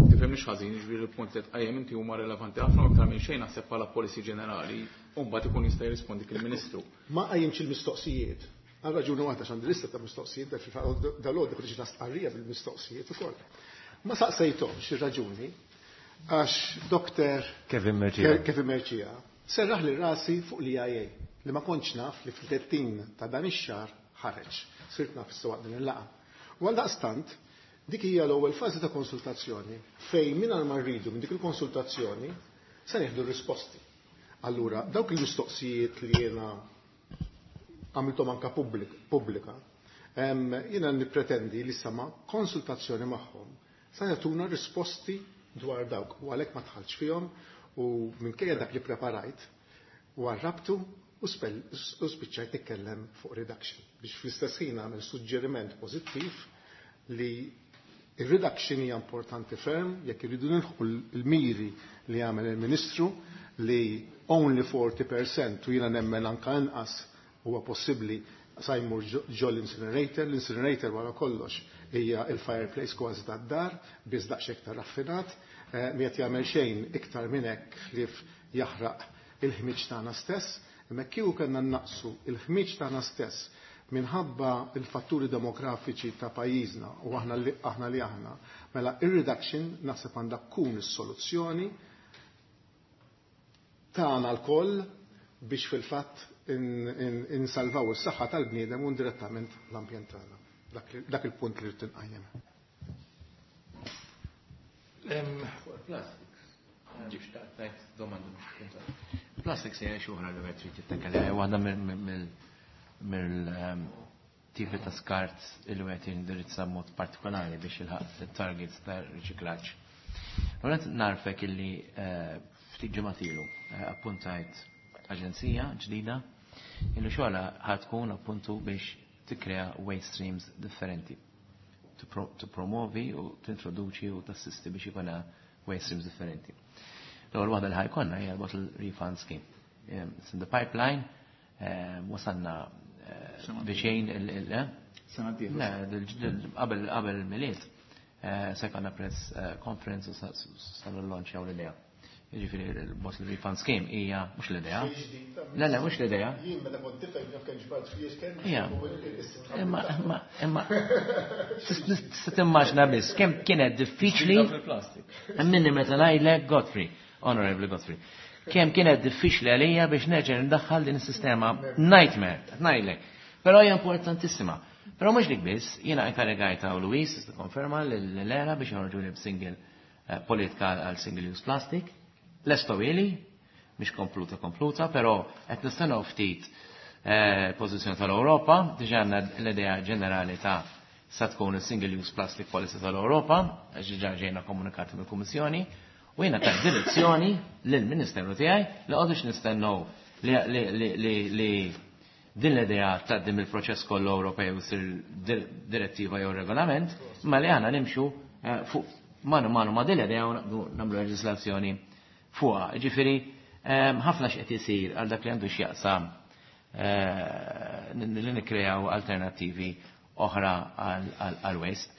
tifhimniex ħażin, jiġifieri il-punt li tqajjem inti huma relevanti ħafna aktar minn xejn naħseb bħala policy ġenerali, u mbagħad ikun jista' jirrispondi il-Ministru. Ma qajjimx il-mistoqsijiet. Għal raġuni waħda x'għandi lista ta' mistoqsijiet, dal-għodu ħriġna stqarrija bil-mistoqsijiet ukoll. Ma saqsejthomx ir-raġuni għax Doktor Kevin Mercia Kevin Mercia serraħ li rasi fuq l-I A li ma kontx naf li fil-tlettin ta' dan ix-xahar ħareġ. Sirt naf issa waqt din il-laqgħa. U għaldaqstant dik hija l-ewwel fażi ta' konsultazzjoni fejn mingħajr ma rridu minn dik il-konsultazzjoni se nieħdu r-risposti. Allura dawk il-mistoqsijiet li jiena għamilthom anka pubblika, jiena nippretendi li sama konsultazzjoni magħhom se jagħtuna risposti dwar dawk u għalhekk ma dħaltx fihom u minkejja dak li preparajt u għarrabtu u spiċċajt nitkellem fuq reduction biex fl-istess ħin nagħmel suġġeriment pożittiv li ir-reduction hija importanti ferm jekk irridu nilħqu l-miri li għamel il-Ministru li only forty percent u jiena nemmen anka inqas huwa possibbli sa jmur ġol l-incinerator. L-incinerator wara kollox hija il-fireplace kważi tad-dar, biss daqsxejn iktar raffinat, mi qed jagħmel xejn iktar minn hekk li jaħraq il-ħmiġ tagħna stess, imma kieku kellna naqsu il-ħmiġ tagħna stess minħabba il-fatturi demografiċi ta' pajjiżna u aħna li aħna li aħna, mela ir-reduction naħseb għandha tkun is-soluzzjoni tagħna lkoll biex fil-fatt insalvaw is-saħħa tal-bniedem u indirettament l-ambjent tagħna. Dak il-punt li rrid inqajjem. Plastics hija xi oħra li qed trid tittekel, waħda mill-tipi ta' skart li qed jindirizza b'mod partikolari biex ilħaq it-targets ta' riċiklaġġ. Għonet narfek illi ftit ġimgħat ilu appuntajt aġenzija ġdida illi xogħla ħad tkun appuntu biex tikkrea waste streams differenti, tippromovi u tintroduċi u tassisti biex ikun waste streams differenti. L-ewwel waħda li ħajkonna hija l-bottle refund scheme. It's in the pipeline, wasalna viċin il- Sena d-dieħla. Le, qabel qabel il-Milied se jkollna press conference u sa nillanċjaw l-idea. Jiġifieri l-bottle refund scheme hija mhux l-idea. Le, le, mhux l-idea. Jien meta kont tifel naf kemm ġbart flus kemm. Ija. Imma, imma, imma tista' timmaġna biss kemm kienet diffiċli. Minni meta ngħidlek Godfrey, Honorable Godfrey. Kemm kienet diffiċli għalija biex nerġa' ndaħħal din is-sistema nightmare, qed ngħidlek. Però hija importantissima. Però mhux dik biss, jiena inkarigajta u Luis konferma l-era biex joħorġu li b'single politika għal single use plastic. Lesto ili, mhix kompluta kompluta, però qed nistennew ftit pożizzjoni tal-Ewropa, diġà għandna l-idea ġenerali ta' sa tkun il-Single Use Plastic Policy tal-Ewropa, għax diġà ġejna komunikati mill-Kummissjoni, u jiena ta' direzzjoni lill-Ministeru tiegħi li qogħdux nistennew li din l-idea tgħaddi mill-proċess kollu Ewropew sir direttiva jew regolament, ma li għandna nimxu fuq manu manu ma din l-idea u nagħmlu leġislazzjoni fuqha. Ġifieri ħafna x'qed isir għal dak li għandu x'jaqsam li nikkreaw alternattivi oħra għal waste.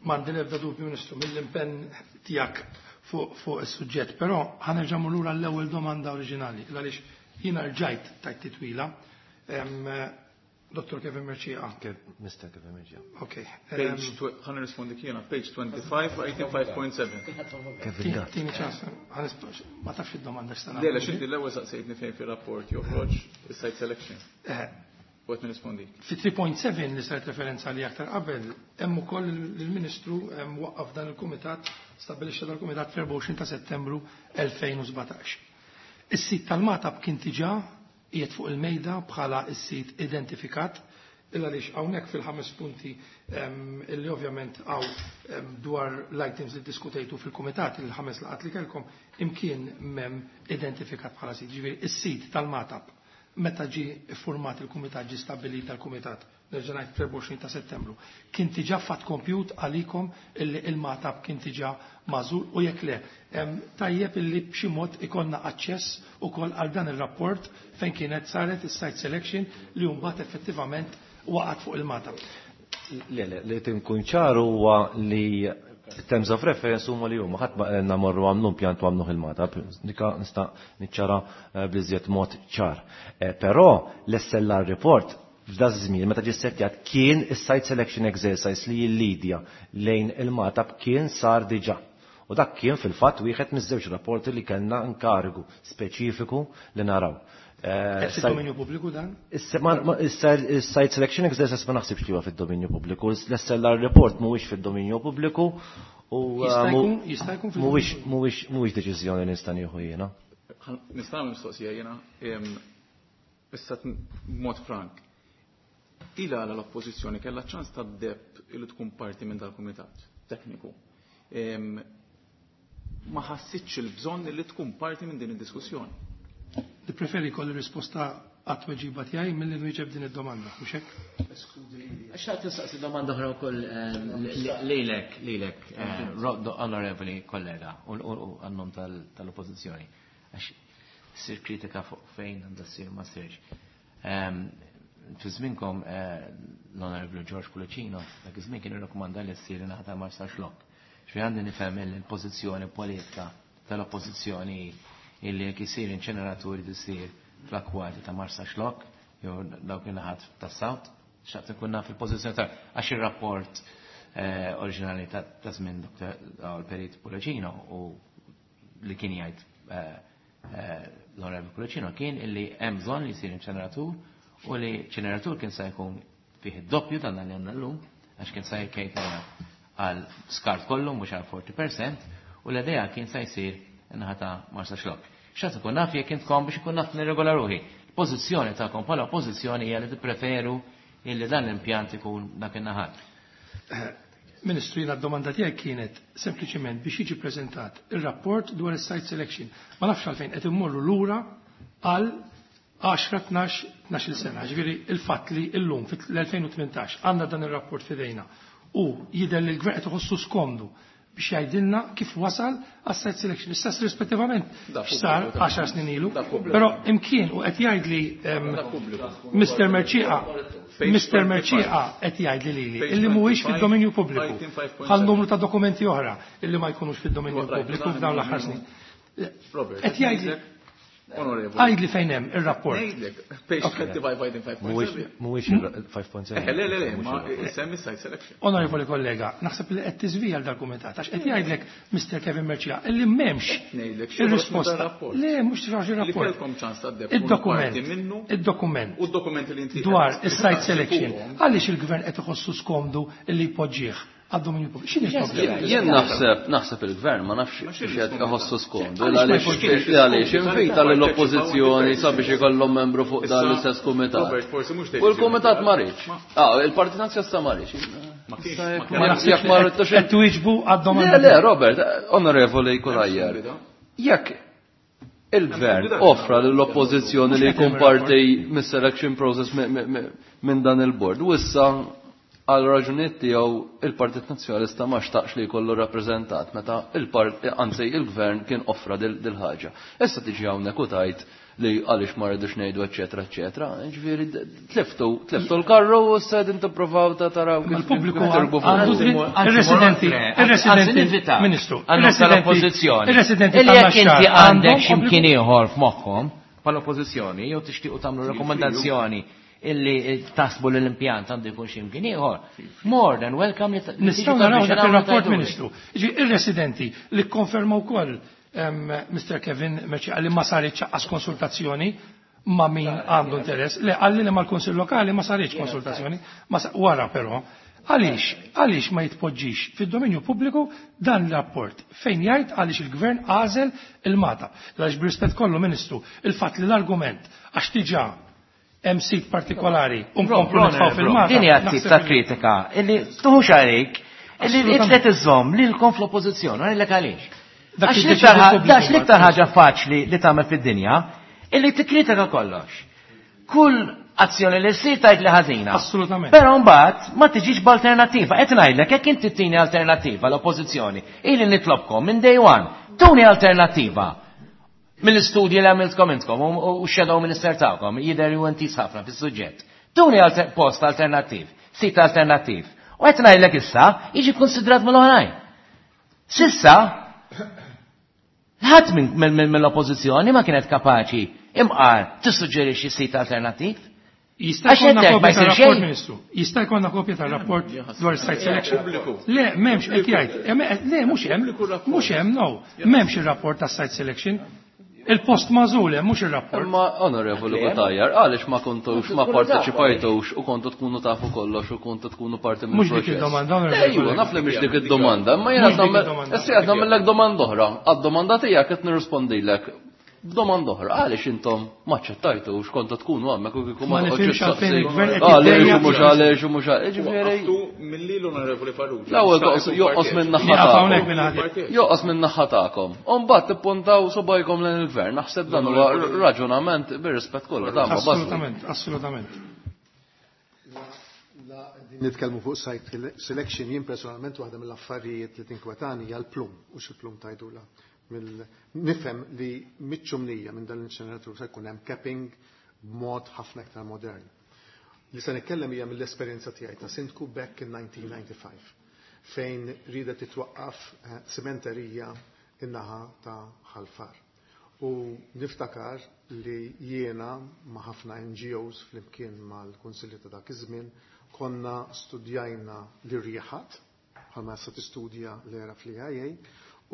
M'għandi l-ebda dubju, Ministru, mill-impenn tiegħek fuq is-suġġett, però ħa nerġa' lura l-ewwel domanda oriġinali, għaliex jiena rġajt tajt titwila. Dottor Kevin Mercieca. Mister Kevin Mercieca. Ok. Ħa nirrispondi jiena, page twenty-five, item five point seven. Kevin Gatt. Tini ċans, ma tafx id-domanda x'tana. Le, le, xinti l-ewwel saqsejtni fejn fir-rapport joħroġ is-site selection. U qed nirrispondi. Fi three point seven li saret referenza li aktar qabel, hemm ukoll il-Ministru waqqaf dan il-Kumitat, stabbilixxa dan il-Kumitat fl-erbgħa u għoxrin ta' Settembru elfejn u sbatax. Is-sit tal-Magħtab kien diġà qiegħed fuq il-mejda bħala s-sit identifikat, illa għaliex hawnhekk fil-ħames punti illi ovvjament hawn dwar l-items li diskutejtu fil-kumitat il-ħames laqat li kellkom imkien m'hemm identifikat bħala sit. Ġifieri is-sit tal-Magħtab meta ġie ffurmat il-kumitat, ġie stabbilit tal-kumitat, nerġa' ngħid fl-erbgħa u għoxrin ta' Settembru, kien diġà fatt kompjut għalikom illi il-Magħtab kien diġà magħżul, u jekk le, tajjeb illi b'xi mod ikollna aċċess ukoll għal dan ir-rapport fejn kienet saret is-site selection li mbagħad effettivament waqgħet fuq il-Magħtab. Le, le, li tinkun ċar huwa li terms of reference huma li huma ħadd ma qegħdna morru għamlu impjant u għamluh il-Magħtab, dika nista' niċċara bl-iżjed mod ċar. Però l-S L R report f'da żmien meta ġie settjat kien is-site selection exercise li jillidja lejn il-Magħtab kien sar diġà. U dak kien fil-fatt wieħed miż-żewġ rapporti li kellna inkarigu speċifiku li naraw. Qed fid-dominju pubbliku dan? Is-site selection exercise ma naħsibx li huwa fid-dominju pubbliku. L-S L R report mhuwiex fid-dominju pubbliku u jista' jkun mhuwiex mhuwiex mhuwiex deċiżjoni li nista' nieħu jiena. Nista' nagħmel mistoqsija jiena, issa b'mod frank. Ila għala l-oppożizzjoni kellha ċans ta' deb illi tkun parti minn dal-kumitat tekniku. Ma ħassitx il-bżonn li tkun parti minn din id-diskussjoni. Nippreferi kolli risposta għat-tweġiba tiegħi milli nwieġeb din id-domanda, mhux hekk? Xtaqt nistaqsi domanda oħra wkoll lilek, lilek, onorevoli kollega, u għannom tal-oppożizzjoni. Għax ssir kritika fuq fejn għandha ssir ma ssirx. Fi żminkom l-Onorevoli George Pullicino, dak iż-żmien kien irrakkomanda li ssir ingħata Marsaxlokk. Xi għandi nifhem il-pożizzjoni politika tal-oppożizzjoni illi jekk isir inċeneraturi tisir fl-akkwati ta' Marsaxlokk jew dawk in-naħat tas-South, xtaqt inkun naf il-pożizzjoni ta' għax ir-rapport oriġinali ta' żmien Doktor Perit Pullicino u li kien jgħid l-Onorevoli Pullicino kien illi hemm bżonn li jsir inċeneratur u li ċeneratur kien se jkun fih id-doppju dan li għandna llum għax kien se jkejtera għal skart kollu mhux għal forty percent u l-idea kien se jsir in-naħa ta' Marsaxlokk. X'għad ikun naf jekk intkom biex ikun naf nirregola ruħi. Pożizzjoni tagħkom bħala oppożizzjoni hija li tippreferu illi dan l-impjant ikun dak in-naħat. Ministru, jiena d-domanda tiegħi kienet sempliċement biex jiġi preżentat ir-rapport dwar is-site selection. Ma nafx għalfejn qed immorru lura għal għaxra, tnax, tnax-il sena. Ġifieri il-fatt li llum fil-elfejn u tmintax għandna dan ir-rapport f'idejna u jidher li l-gvern qed iħossu skomdu biex jgħidilna kif wasal għas-site selection. Istess rispettivament x'sar għaxar snin ilu, però imkien u qed jgħidli Mister Mercieca, Mister Mercieca qed jgħidli lili illi mhuwiex fid-dominju pubbliku bħal numru ta' dokumenti oħra illi ma jkunux fid-dominju pubbliku f'dawn l-aħħar snin. Qed jgħidli Għajdli fejn hemm ir-rapport. Ngħidlek, page twenty-five, item five point seven. Mhuwiex il-five point seven. Eh, le, le, le, ma semmi site selection. Onorevoli kollega, naħseb li qed tiżvija l-dokumentat għax qed jgħidlek Mister Kevin Mercieca illi m'hemmx ir-risposta. Le, mhux tixrax ir-rapport. Li kellkom ċans tgħaddeb Id-dokument. Id-dokument. U d-dokumenti li inti dwar is-site selection. Għaliex il-gvern qed iħossu skomdu illi jpoġġih għad-dominju pubbliku. X'inhi l-problema? Jien naħseb naħseb il-gvern ma nafx x'qed iħossu skomdu għaliex għaliex invita lill-oppożizzjoni sabiex ikollhom membru fuq dan l-istess kumitat. U l-kumitat ma riedx. Ah, il-Partit Nazzjonalista ma riedx. Jekk ma ridtux qed twieġbu għad-domanda. Le, le, Robert, onorevoli Cutajar. Jekk il-gvern offra lill-oppożizzjoni li jkun parti mis-selection process minn dan il-bord, u issa għal raġunijiet tiegħu il-Partit Nazzjonalista ma xtaqx li jkollu rappreżentat meta il-part anzi il-gvern kien offra dil-ħaġa. Issa tiġi hawnhekk u tgħid li għaliex ma rridux ngħidu eċetera eċetera. Ġifieri tliftu tliftu l-karru u issa qegħdin tippruvaw ta' taraw kif il-pubbliku għandu ir-residenti ir-residenti Ministru, ir-residenti ir-residenti jekk inti għandek x'imkien ieħor f'moħħkom bħall-oppożizzjoni jew tixtiequ tagħmlu rakkomandazzjoni illi tasbu l-impjant għandu jkun x'imkien ieħor. More than welcome li nistgħu naraw dak ir-rapport, Ministru. Ir-residenti li kkonfermaw ukoll Mister Kevin Mercieca li ma saritx aqqas konsultazzjoni ma' min għandu interess. Le qalli li mal-Kunsill Lokali ma saritx konsultazzjoni, wara però. Għaliex, għaliex ma jitpoġġix fid-dominju pubbliku dan l-rapport fejn jgħid għaliex il-gvern għażel il-Mata. Għaliex b'rispett kollu, Ministru, il-fatt li l-argument għax diġà hemm sit partikolari u nkomplu nitfgħu fil-Mata. Din hija tip ta' kritika illi tuħux għalik illi qed iżżomm lilkom fl-oppożizzjoni, għalilek għaliex. Għax l-iktar ħaġa faċli li tagħmel fid-dinja illi tikkritika kollox. Kull azzjoni li ssir tgħid li ħażina. Assolutament. Però mbagħad ma tiġix b'alternattiva. Qed ngħidlek jekk inti tini alternattiva l-oppożizzjoni, ili nitlobkom minn day one, tuni alternattiva. Mill-istudji li għamiltkom intkom u x-shadow minister tagħkom jidher ju intis ħafna fis-suġġett. Tuni post alternattiv, sit alternattiv. U qed ngħidlek issa jiġi konsidrat mill-oħrajn. Sissa ħadd mill-oppożizzjoni ma kienet kapaċi imqar tissuġġerixxi sit alternattiv. Jista' jkollna kopja tar-rapport, Ministru. Jista' jkollna kopja tar-rapport dwar site selection. Le, m'hemmx qed jgħid. Le, mhux hemm, mhux hemm, no. M'hemmx ir-rapport tas-site selection. Il-post magħżul hemm mhux ir-rapport. Imma onorevoli Cutajar, għaliex ma kontux ma parteċipajtux u kontu tkunu tafu kollox u kontu tkunu parti mill-proċess. Mhux dik id-domanda, onorevoli. Ejwa, naf li mhix dik id-domanda, imma jiena issa qed nagħmellek domanda oħra. Għad-domanda tiegħek qed nirrispondilek b'domanda oħra, għaliex intom ma ċċettajtux kontu tkunu hemmhekk u kieku ma nifhimx għalfejn il-gvern qed għaliex u mhux għaliex u mhux għaliex. Ġifieri milli l-onorevoli Farrugia. L-ewwel joqos minn naħa tagħkom. Joqos minn naħa tagħkom. U mbagħad tippuntaw subajkom lejn il-gvern. Naħseb dan huwa raġunament bir-rispett kollu ta' Assolutament, assolutament. Nitkellmu fuq site selection, jien personalment waħda mill-affarijiet li tinkwetani hija l-plum, u x'il-plum tajdula. Nifhem li miċ-ċumnija minn dan l-inċeneratur se jkun hemm capping b'mod ħafna iktar modern. Li se nitkellem hija mill-esperjenza tiegħi ta' sindku back in nineteen ninety-five fejn rida titwaqqaf sementerija in-naħa ta' Ħalfar. U niftakar li jiena ma' ħafna N G Os flimkien mal-Kunsilli ta' dak iż-żmien konna studjajna l-irjieħat bħalma sa tistudja l-era fl-I A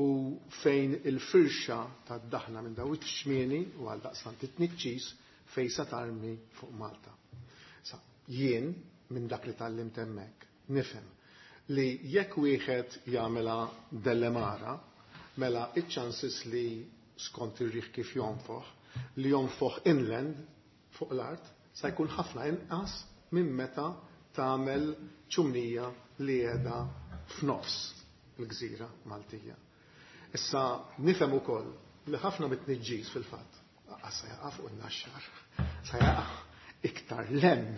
u fejn il-firxa ta' daħna minn daw iċ-ċmieni u għal daqstant it-tniċċis fejn sa tarmi fuq Malta. Sa jien minn dak li tgħallimt hemmhekk nifhem li jekk wieħed jagħmilha dellemara mela iċ-chances li skont ir-riħ kif jonfoħ li jonfoħ inland fuq l-art sa jkun ħafna inqas minn meta tagħmel ċumnija li qiegħda f'nofs il-gżira Maltija. Issa nifhem ukoll li ħafna mit-tniġġis fil-fatt sa jaqa' fuq in-Naxxar, sa jaqa' iktar lem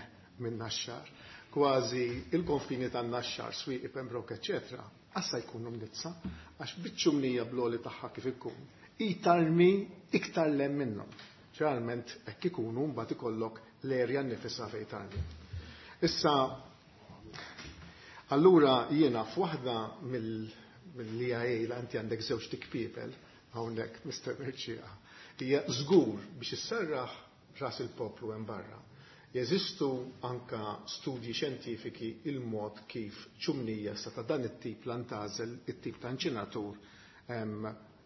minn Naxxar, kważi il-konfini tan-Naxxar, Swieqi, Pembroke, eċetera, assa jkunu mnitsa għax biċ-ċumnija bloli tagħha kif ikun, itarmi iktar lem minnhom. Ġeneralment hekk ikunu mbagħad ikollok l-erja nnifisha fejn tarmi. Issa allura jiena f'waħda mill mill-I A la inti għandek żewġ tikpiepel hawnhekk Mister Mercieca, hija żgur biex isserraħ ras il-poplu hemm barra. Jeżistu anka studji xjentifiki il-mod kif ċumnija sa ta' dan it-tip lantażel, it-tip ta' inċinatur,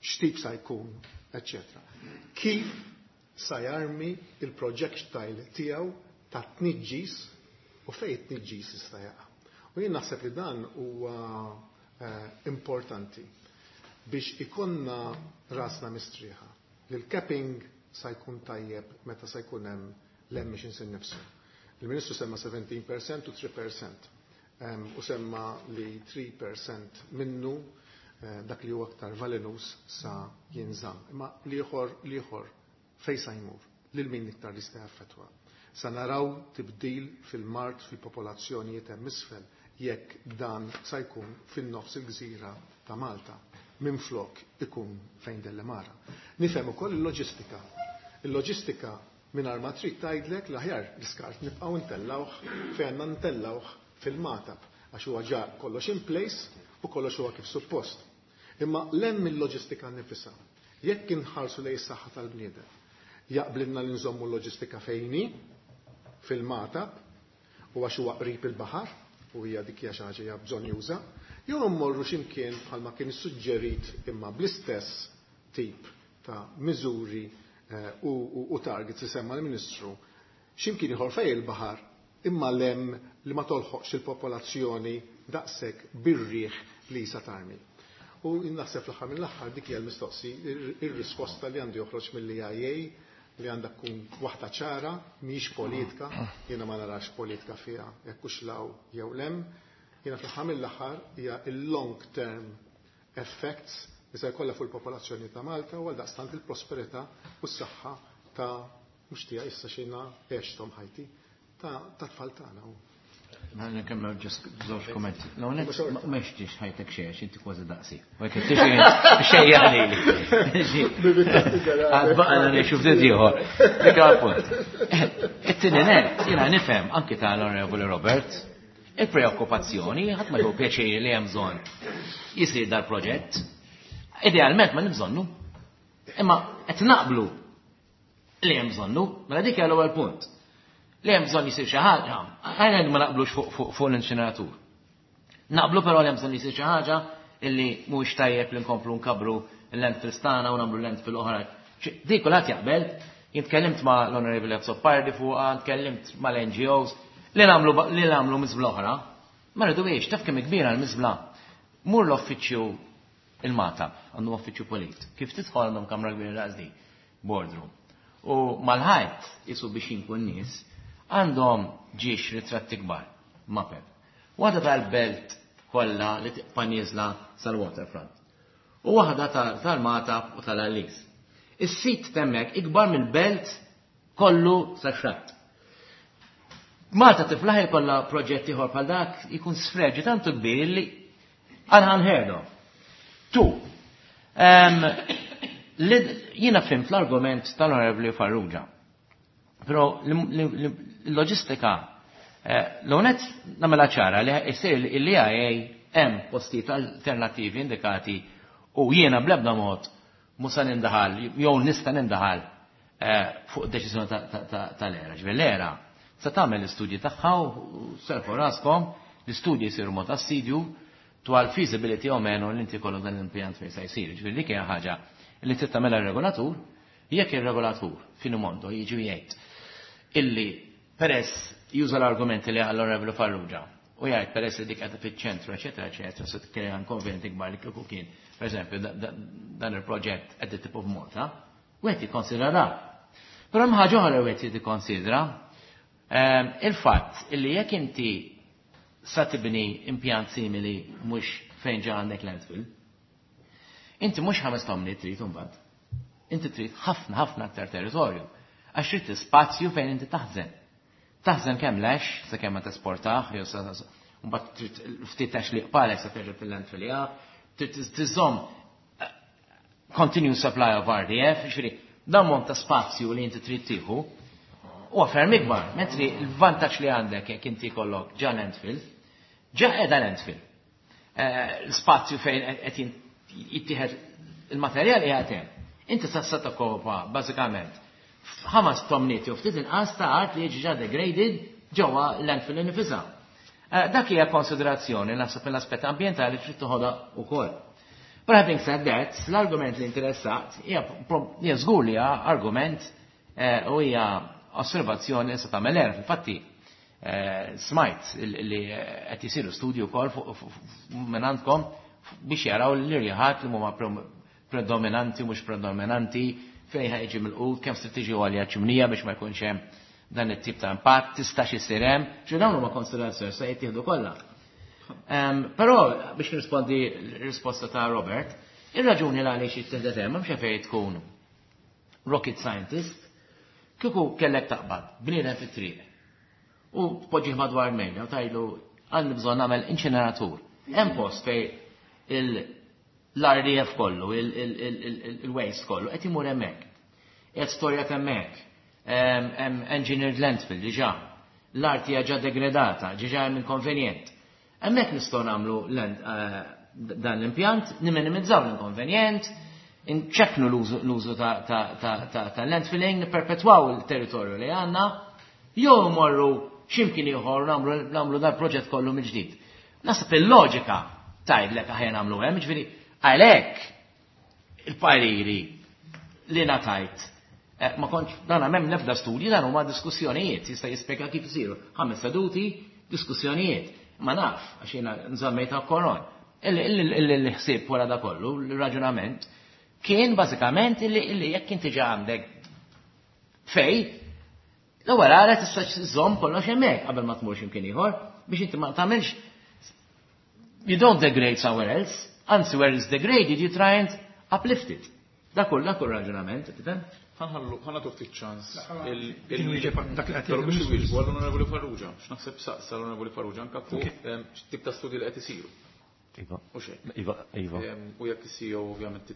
x'tip sa jkun, eċċetera. Kif sa jarmi il-projectile tiegħu ta' tniġġis u fejn it-tniġġis jista' jaqa'. U jien naħseb li dan huwa importanti biex ikonna rasna mistrieħa. Li l-capping sa jkun tajjeb meta sa jkun hemm l-emissions innifsu. Il-Ministru semma seventeen percent u three percent. U semma li three percent minnu dak li huwa aktar valenus sa jinżamm. Imma l-ieħor l-ieħor fejn sa jmur, lil min iktar li jista' jaffettwa. Sa naraw tibdil fil-mart fil-popolazzjonijiet hemm isfel jekk dan sa jkun fin-nofs il-gżira ta' Malta minflok ikun fejn Dellemara. Nifhem ukoll il-loġistika. Il-loġistika mingħajr ma trid tgħidlek l-aħjar l-iskart nibqgħu ntellawh fejn għandna ntellawh fil-Magħtab għax huwa ġa kollox in place u kollox huwa kif suppost. Imma l-hemm il-loġistika nifisha. Jekk inħarsu lejn is-saħħa tal-bniedem, jaqblilna li nżommu l-loġistika fejni fil-Magħtab u għax huwa qrib il-baħar u hija dik hija xi ħaġa hija bżonn juża, jew mmorru x'imkien bħalma kien issuġġerit imma bl-istess tip ta' miżuri u, u, u targets li semma l-Ministru, x'imkien ieħor fejn il-baħar imma lem li ma tolħoqx il-popolazzjoni daqshekk bir-riħ li sa tarmi. U naħseb fl-aħħar mill-aħħar dik hija l-mistoqsi, ir-risposta li għandu joħroġ mill-E I A li għandha tkun waħda ċara, mhijiex politika, jiena ma narax politika fiha jekk hux law jew lem, jiena fl-aħħar mill-aħħar hija il-long term effects li se jkollha fuq il-popolazzjoni ta' Malta u għaldaqstant il-prosperità u s-saħħa ta' mhux tiegħi issa xejna għexthom ħajti ta' tfal tagħna. Ma nkemmel ġust żewġ kummenti. L-ewwel nett ma mextix ħajtek xejn għax inti kważi daqsi. U jekk tixi xejn jagħlili. Għad baqgħna ngħixu ftit ieħor. Dik punt. It-tieni nett jiena nifhem anki tal-Onorevoli Robert il-preokkupazzjoni ħadd ma jieħu pjaċir li hemm bżonn jisir dal-proġett. Idealment ma nibżonnu. Imma qed naqblu li hemm bżonnu, mela dik hija l-ewwel punt. Li hemm bżonn jisir xi ħaġa, ħajna ma naqblux fuq fuq l-inċineratur. Naqblu però li hemm bżonn jisir xi ħaġa illi mhuwiex tajjeb li nkomplu nkabru l-landfills tagħna u nagħmlu landfill oħra. Dik kulħadd jaqbel, jien tkellimt ma' l-Onorevoli Azzopardi fuqha, tkellimt mal-N G Os, li nagħmlu li nagħmlu miżbla oħra. Ma rridux, taf kemm kbira l-miżbla. Mur l-uffiċċju il-Magħtab, għandhom uffiċċju polit. Kif tidħol għandhom kamra kbira daqs di, boardroom. U mal-ħajt jisu biex jinku n-nies, għandhom ġiex ritratti kbar, mapep. Waħda tal-belt kollha li tibqa' nieżla sal-waterfront. U waħda tal-Magħtab u tal-Għallis. Is-sit temmek ikbar mill-belt kollu sax-xatt. Malta tiflaħ ikollha proġett ieħor bħal dak ikun sfreġi tantu kbir li unheard of. Tu, jiena fimt l-argument tal-Onorevoli Farrugia. Però l-loġistika, l-onet namela ċara li jsir l-E I A hemm postijiet alternattivi indikati u jiena bl-ebda mod musa nindaħal, jew nista' nindaħal fuq deċiżjoni tal-era. Ġifieri l-era se tagħmel l-istudji tagħha u serħu raskom, l-istudji jsiru mod assidju dwar feasibility o meno li inti kollu dan l-impjant fejn se jsir. Ġifieri dik hija ħaġa li trid tagħmilha r-regolatur, jekk ir-regolatur f'Finomondo jiġi jgħid illi peress juża l-argumenti li għall Onorevoli Farrugia u jgħid peress li dik qed fiċ-ċentru, eċetera, eċetera, se tkellem konventi kbar li kieku kien, pereżempju, dan il-proġett at the tip of Malta, wieħed jikkonsidra dan. Però hemm ħaġa oħra wieħed jikkonsidra, il-fatt illi jekk inti sa tibni impjant simili mhux fejn ġa għandek landfill, inti mhux ħames tomni trid imbagħad. Inti trid ħafna ħafna aktar territorju. Għax trid spazju fejn inti taħżen. Taħżen kemm lex, sa kemm ma tesportaħ, jew sa mbagħad trid ftit għax li qpalek sa terġa' fil-landfill, ja, trid tiżomm continuous supply of R D F, ġifieri dan mont ta' spazju li inti trid tieħu huwa ferm ikbar, mentri l-vantaġġ li għandek jekk inti jkollok ġa landfill, ġa qiegħda landfill. L-spazju fejn qed jittieħed il-materjal qiegħed hemm. Inti sa sa tokkopa bażikament ħames tomniet jew ftit inqas ta' art li jiġi ġa degraded ġewwa landfill innifisha. Dak hija konsiderazzjoni naħseb mill-aspett ambjentali trid toħodha wkoll. But having said that, l-argument li interessat hija hija żgur li hija argument u hija osservazzjoni li se tagħmel erf. Infatti, Smajt li qed isiru studju wkoll minn għandkom biex jaraw l-irjaħat li huma predominanti mhux predominanti fejn ħajġi mill-qut, kemm se tiġi għalja ċimnija biex ma jkunx hemm dan it-tip ta' impatt, tistax isir hemm, ġu dawn huma konsiderazzjoni se jittieħdu kollha. Però biex nirrispondi l-risposta ta' Robert, ir-raġuni għaliex jittieħdet hemm m'hemmx fejn tkun rocket scientist, kieku kellek taqbad bniedem fit-triq u tpoġġih madwar mejda u tgħidlu għandi bżonn nagħmel inċineratur. Hemm post fejn l-R D F kollu, il-waste kollu, qed imur hemmhekk. Qed storjat hemmhekk. Hemm engineered landfill diġà. L-art hija ġa degradata, diġà hemm inkonvenjent. Hemmhekk nistgħu nagħmlu dan l-impjant, niminimizzaw l-inkonvenjent, nċekknu l-użu ta' landfilling, nipperpetwaw il-territorju li għandna, jew morru x'imkien ieħor nagħmlu dan proġett kollu mill-ġdid. Naħseb il-loġika tgħidlek aħjar nagħmlu hemm, ġifieri għalhekk il-pariri li ngħatajt ma kontx dan hemm nefda studji, dan huma diskussjonijiet, jista' jispjega kif isiru. Ħames seduti, diskussjonijiet. Ma naf għax jiena nżammejta koron. Il-ħsieb wara da kollu, il-raġunament, kien bażikament illi jekk inti ġa għandek fej, l-ewwel ara tista' żżomm kollox hemmhekk qabel ma tmur x'imkien ieħor biex inti ma tagħmilx you don't degrade somewhere else, anzi where it's degraded you try and uplift it. Dak kull dak kull raġunament, tifhem? Ħanħallu ħanatu ftit ċans il biex iwieġbu għall-Onorevoli Farrugia, x'naħseb saqsa l-Onorevoli Farrugia anke fuq x'tip ta' studji li qed isiru. Iva. Iva, iva. U jekk is-C E O ovvjament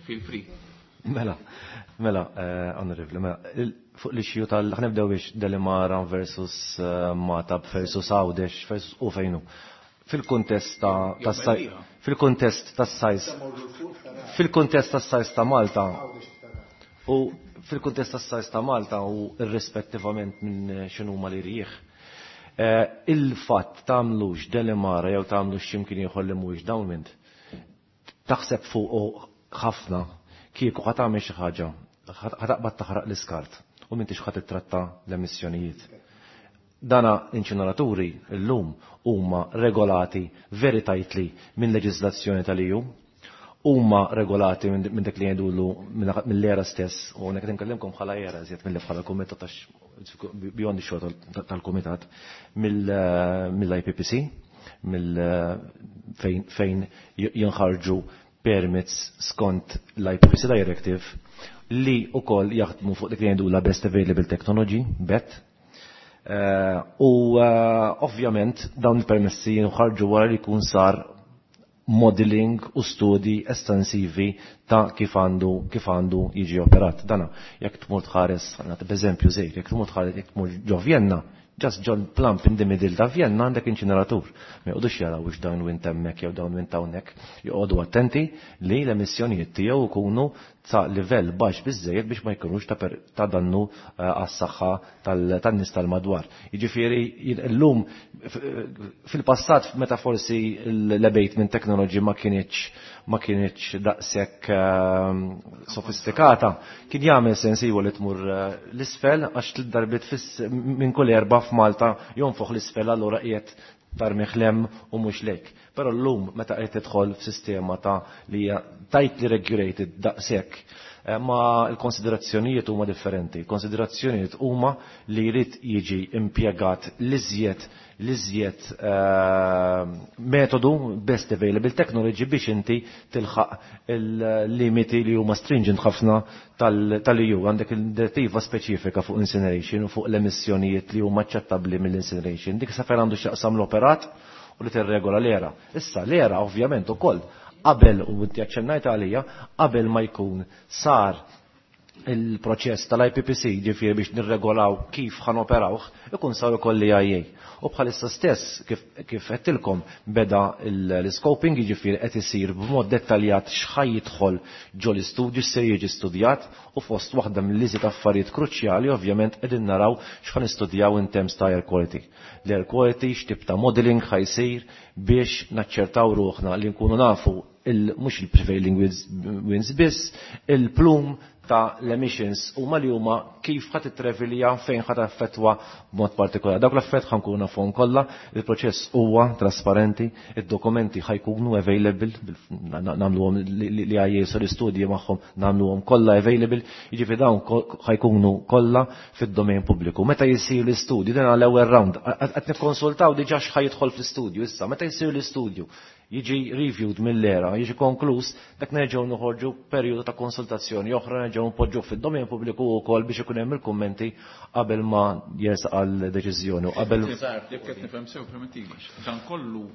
feel free. Mela, mela, onorevoli, mela, fuq l-issue tal ħanibdew biex Delimara versus Matab versus Għawdex versus u fejnu. Fil-kuntest ta' fil-kuntest tas-sajs fil-kuntest tas-sajs ta' Malta u fil-kuntest tas-sajs ta' Malta u irrispettivament minn x'inhuma li rieħ. Il-fatt tagħmlux Delimara jew tagħmlux x'imkien ieħor li mhuwiex downwind, taħseb fuq ħafna kieku ħa tagħmel xi ħaġa, ħa taqbad taħraq l-iskart u m'intix ħa titratta l-emissjonijiet. Dana inċineraturi llum huma regolati very tightly minn leġiżlazzjoni tal-E U, huma regolati minn dak li jgħidulu mill-era stess, u hawnhekk qed inkellimkom bħala era iżjed milli bħala kumitat għax beyond ix-xogħol tal-kumitat mill-I P P C, mill fejn jinħarġu permits skont l-I P P C Directive li wkoll jaħdmu fuq dik li jgħidulha Best Available Technology, B E T. U ovvjament dawn il-permessi jinħarġu wara li jkun sar modeling u studi estensivi ta' kif għandu kif għandu jiġi operat. Dana, jekk tmur tħares, nagħti b'eżempju żejr, jekk tmur tħares, jekk tmur ġo Vienna, just ġo plump in the middle ta' Vienna għandek inċineratur. Ma joqgħodux jaraw wix downwind hemmhekk jew downwind hawnhekk, joqogħdu attenti li l-emissjonijiet tiegħu jkunu ta' livell baxx biżżejjed biex ma jkunux ta', ta dannu għas-saħħa tan-nies tal-madwar. Jiġifieri llum fil-passat meta forsi l-abatement technology ma kienx ma kienx daqshekk sofistikata, kien jagħmel sens iwa li tmur l-isfel għax tliet darbiet minn kull erba' f'Malta jonfoħ l-isfel allura qiegħed tarmiħ lem u mhux lejk. Però llum meta qed tidħol f'sistema ta' li hija tightly regulated daqshekk, ma l-konsiderazzjonijiet huma differenti. Konsiderazzjonijiet huma li jrid jiġi impjegat l-iżjed l-iżjed metodu best available technology biex inti tilħaq il-limiti li huma stringent ħafna tal-E U. Għandek il-direttiva speċifika fuq incineration u fuq l-emissjonijiet li huma aċċettabbli mill-incineration. Dik sa fejn għandu x'jaqsam l-operat u li tirregola l-era. Issa l-era ovvjament ukoll qabel, u inti aċċennajt għalija, qabel ma jkun sar il-proċess tal-I P P C, ġifieri biex nirregolaw kif ħanoperawh, ikun sar ukoll l-E I A. U bħalissa stess, kif, kif għedtilkom, beda l-scoping, jiġifieri qed isir b'mod dettaljat x'ħaj jidħol ġo l-istudju, x'se jiġi studjat, u fost waħda mill-iżjed affarijiet kruċjali ovvjament qegħdin naraw x'ħan nistudjaw in terms ta' air quality. L-air quality x'tip ta' modeling ħajsir biex naċċertaw ruħna li nkunu nafu il-, mhux il-prevailing winds biss, il-plum ta' l-emissions huma li huma kif ħadd itrevilja fejn ħadd affettwa b'mod partikolari. Dawk l-affett ħankunu nafhom kollha, il-proċess huwa trasparenti, id-dokumenti ħajkunu available, nagħmluhom li għajjesu l-istudji magħhom nagħmluhom kollha available, jiġifieri dawn ħajkunu kollha fid-domain pubbliku. Meta jsir l-istudju, din għall-ewwel round, qed nikkonsultaw diġà x'ħajidħol fl-istudju issa, meta jsir l-istudju jiġi reviewed mill-era, jiġi konkluż, dak nerġgħu noħorġu perjodu ta' konsultazzjoni oħra nerġgħu npoġġu fid-domain pubbliku wkoll biex ikun hemm il-kummenti qabel ma jersaq għal deċiżjoni u qabel. Jekk qed nifhem sew permettili, dan kollu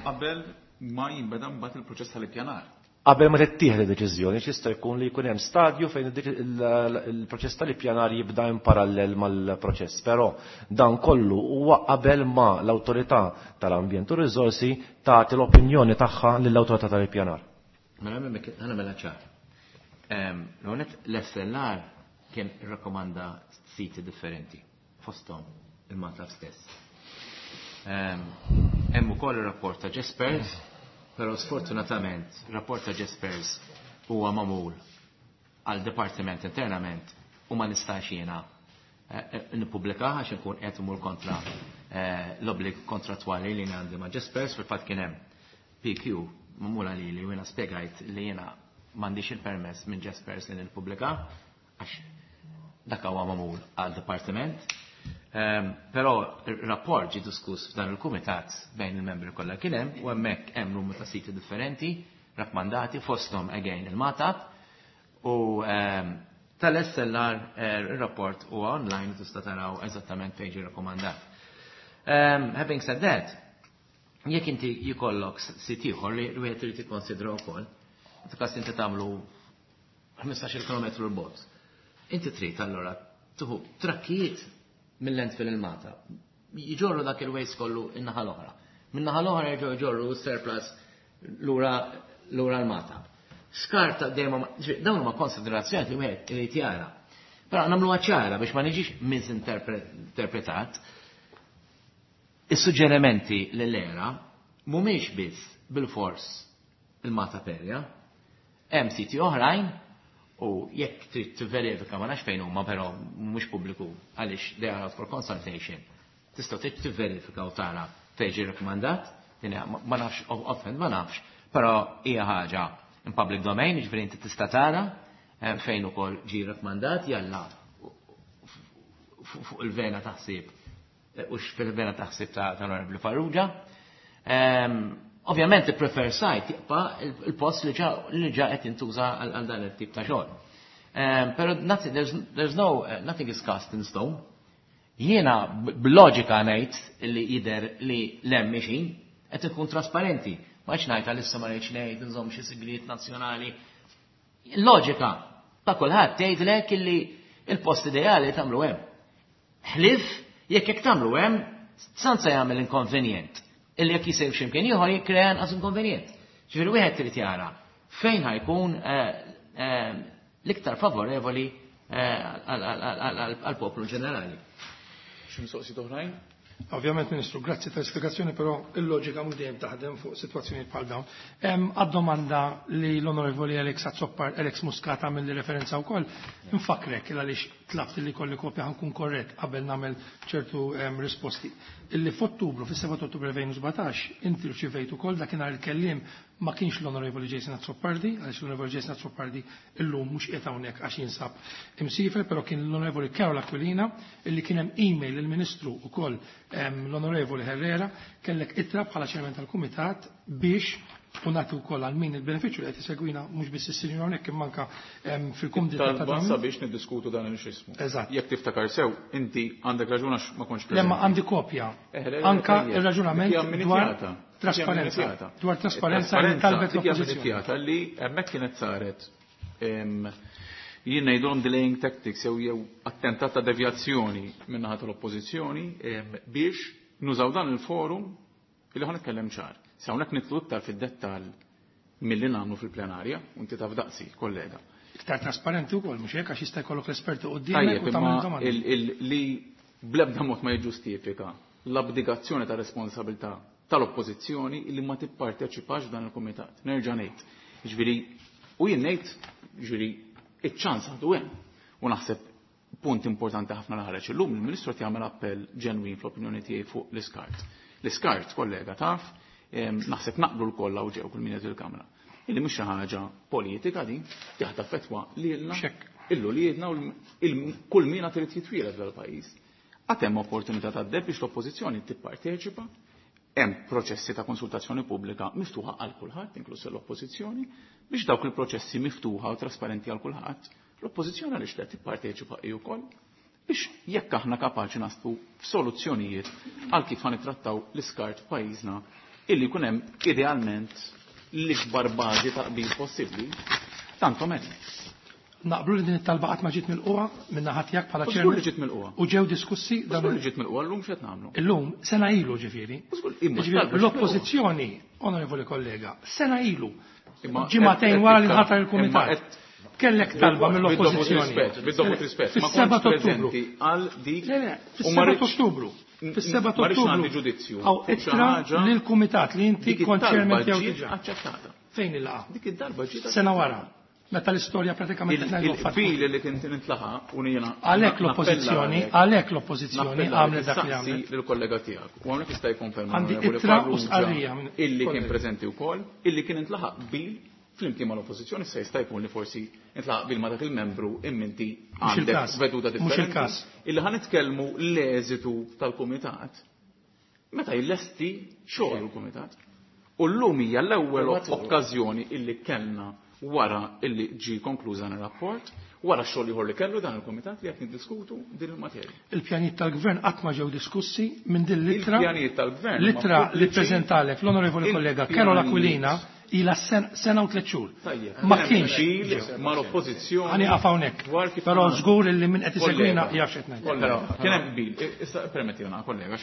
qabel ma jinbeda mbagħad il-proċess tal-ippjanar. Qabel ma tittieħed id-deċiżjoni, jista' jkun li jkun hemm stadju fejn il-proċess tal-ippjanar jibda in parallel mal-proċess, però dan kollu huwa qabel ma l-awtorità tal-ambjent u riżorsi tagħti l-opinjoni tagħha lill-awtorità tal-ippjanar. Mela ħana mela ċar. L-għonet l-S L R kien irrakkomanda siti differenti fosthom il-Magħtab stess. Hemm ukoll ir-rapport ta' Jaspers, però sfortunatament rapport ta' Jaspers huwa magħmul għal dipartiment internament u ma nistax jiena nippubblika għax inkun qed imur kontra l-obbligu kontrattwali li għandi ma' Jaspers. Fil-fatt kien hemm P Q magħmula lili u jiena spjegajt li jiena m'għandix il-permess minn Jaspers li nippubblika għax dak huwa magħmul għal dipartiment. Però il-rapport ġie diskuss f'dan il-kumitat bejn il-membri kollha kien hemm u hemmhekk hemm numru ta' siti differenti rakkomandati fosthom again il-Magħtab u tal-S L R ir-rapport huwa online tista' taraw eżattament fejn ġie rakkomandat. Having said that, jekk inti jkollok sit ieħor li wieħed irid jikkonsidra wkoll, f'każ inti tagħmlu ħmistax-il kilometru l bogħod. Inti trid allura tieħu trakkijiet mill-landfill il-Magħtab. Jġorru dak il-waste kollu in-naħa l-oħra. Min-naħa l-oħra jerġgħu jġorru surplus lura lura l-Magħtab. Skarta dejjem ma-, ġifieri, dawn huma konsiderazzjoni li wieħed irid jara. Però nagħmluha ċara biex ma niġix misinterpretat. Is-suġġerimenti lill-era mhumiex biss bil-fors il-Magħtab area, hemm siti oħrajn u jekk trid tivverifika ma nafx fejn huma però mhux pubbliku għaliex they are out for consultation. Tista' trid tivverifika u tara fejn ġie rakkomandat, din hija, ma nafx offhand ma nafx, però hija ħaġa in public domain, jiġifieri inti tista' tara fejn ukoll ġie rakkomandat jalla fuq il-vena taħsib u fil-vena taħsib ta' tal-Onorevoli Farrugia. Ovvjament il-prefer site jibqa' il-post li ġa, li ġa qed jintuża għal dan it-tip ta' xogħol. Però nothing, there's, there's no, nothing is cast in stone. Jiena b'loġika ngħid li jidher li l-hemm mixin qed ikun trasparenti. Ma rridx ngħid għalissa ma rridx ngħid nżomm xi sigriet nazzjonali. Il-loġika ta' kulħadd tgħidlek illi il-post ideali tagħmlu hemm. Ħlif jekk jekk tagħmlu hemm sanza jagħmel inkonvenjent. Illi jekk jisir x'imkien ieħor jikkrea inqas inkonvenjent. Ġifieri wieħed trid jara fejn ħajkun l-iktar favorevoli għall-poplu ġenerali. Xi mistoqsijiet oħrajn? Ovvjament, Ministru, grazzi tal-spiegazzjoni, però il-loġika mhux dejjem taħdem fuq sitwazzjonijiet bħal dawn. Għad-domanda li l-Onorevoli Alex Azzoppar, Alex Muscat għamel li referenza wkoll, infakrek għaliex tlabt li kolli kopja ħankun korrett qabel nagħmel ċertu risposti. Illi f'Ottubru, fis-seba' ta' Ottubru elfejn u sbatax, inti rċivejt ukoll dakinhar il-kelliem ma kienx l-Onorevoli Jason Azzopardi, għaliex l-Onorevoli Jason Azzopardi illum mhux qiegħed hawnhekk għax jinsab imsiefer, però kien l-Onorevoli Karol Aquilina illi kien hemm email lill-Ministru wkoll l-Onorevoli Herrera kellek ittra bħala chairman tal-Kumitat biex u nagħti wkoll għal min il-benefiċċju li qed isegwina mhux biss is-sinjur hawnhekk imma anke fil-kumdità ta' Talba dan. sabiex niddiskutu dan il-xismu. Eżatt. Jekk tiftakar sew, inti għandek raġun għax ma kontx Le, ma preżenti. għandi kopja. Eh, le, le, Anka tajjeb. ir-raġunament Dik hija dwar amminizjata. Dik hija trasparenza. amminizjata. Dwar trasparenza li Trasparenza, talbet dik hija l-oppożizzjoni. amminizjata li hemmhekk kienet saret, em, jien ngħidulhom delaying tactics jew jew attentat ta' devjazzjoni min-naħa tal-oppożizzjoni, em, biex nużaw dan il-forum illi ħa nitkellem ċar. Se hawnhekk nitlu iktar fid-dettall milli nagħmlu fil-plenarja, u inti taf daqsi, kollega. Iktar trasparenti wkoll, mhux hekk għax jista' jkollok l-esperti quddiemek Tajjeb, u tagħmel imma domandi. il-, il-, li bl-ebda mod ma jiġġustifika l-abdigazzjoni ta' responsabilità tal-oppożizzjoni li ma tipparteċipax f'dan il-kumitat. Nerġa' ngħid. Jiġifieri, u jien ngħid, jiġifieri, Iċ-ċans għadu hemm. U naħseb punt importanti ħafna li ħareġ illum, il-Ministru qed jagħmel appell ġenwin fl-opinjoni tiegħi fuq l-iskart. L-iskart, kollega, taf, naħseb naqblu l-kollha u ġew kull min qed il-Kamra. Illi mhux xi ħaġa politika din, jaħda fetwa lilna, illu li jedna u kull min trid jitwieled dal-pajjiż. Għad hemm opportunità tad-deb biex l-oppożizzjoni tipparteċipa, hemm proċessi ta' konsultazzjoni pubblika miftuħa għal kulħadd, inkluż l-oppożizzjoni, biex dawk il-proċessi miftuħa u trasparenti għal kulħadd, l-oppożizzjoni għaliex le tipparteċipa hi wkoll biex jekk aħna kapaċi naslu f'soluzzjonijiet għal kif ħanitrattaw l-iskart f'pajjiżna illi jkun hemm idealment l-ikbar bażi ta' qbil possibbli, tanto meglio. Naqblu li din it-talba qatt ma ġiet milquha minn naħa tiegħek bħala Żgur chairman. li ġiet milquha. U ġew diskussi dan Żgur li ġiet milquha llum x'qed nagħmlu. Illum sena ilu ġifieri. Żgur, imma Ġifieri, t-talba ġiet l-oppożizzjoni, onorevoli kollega, sena ilu. Imma Ġimagħtejn qed- wara li qed- nħatar imma il-kumitat. qed- Kellek talba mill-oppożizzjoni. Bid-dovut rispett, ma Fis-seba' kontx ta' Ottubru. preżenti għal dik Le, le, u ma fis-seba' ta' rridx- Ottubru. Fis-seba' ta' ma rridx Ottubru. nagħti ġudizzju Għaw fuq xi ittra ħaġa lill-kumitat li inti dik kont it-talba chairman tiegħu ġiet diġà. aċċettata. Fejn il-laqgħa? Dik id-darba ġiet Sena wara. Meta l-istorja pratikament qed ngħidu fatt. Il-qbil li kien intlaħaq u jiena Għalhekk l-oppożizzjoni, għalhekk l-oppożizzjoni għamlet dak li għamlet. Lill-kollega tiegħek. U hawnhekk jista' jikkonferma Għandi l-Onorevoli ittra u Farrugia stqarrija minn illi kien kollega. preżenti wkoll, illi kien intlaħaq qbil flimkien mal-oppożizzjoni, issa jista' jkun li forsi intlaħaq qbil ma' dak il-membru imminti Mhux għandek il-każ. veduta Mhux differenti. il-każ. Illi ħa nitkellmu l-eżitu tal-kumitat meta jlesti xogħol il-kumitat. U llum hija l-ewwel okkażjoni illi kellna wara illi ġi konkluż dan ir-rapport, wara x-xogħol ieħor li kellu dan il-kumitat li qed niddiskutu din il-materja. Il-pjanijiet tal-gvern qatt ma ġew diskussi minn din l-ittra. Il-pjanijiet tal-gvern L-ittra ma li pubbliċi. ppreżentalek l-onorevoli kollega Il-pjanijiet. Karol Aquilina ila sen- sena u tliet xhur. Tajjeb. Ma Kien hemm kienx. qbil mal-oppożizzjoni. Ħani qaf hawnhekk. dwar kif Però għamlu. żgur li min qed isegwina Kollega, jaf x'qed ngħid. kollega, Kien hemm qbil. Issa permettilna kollega,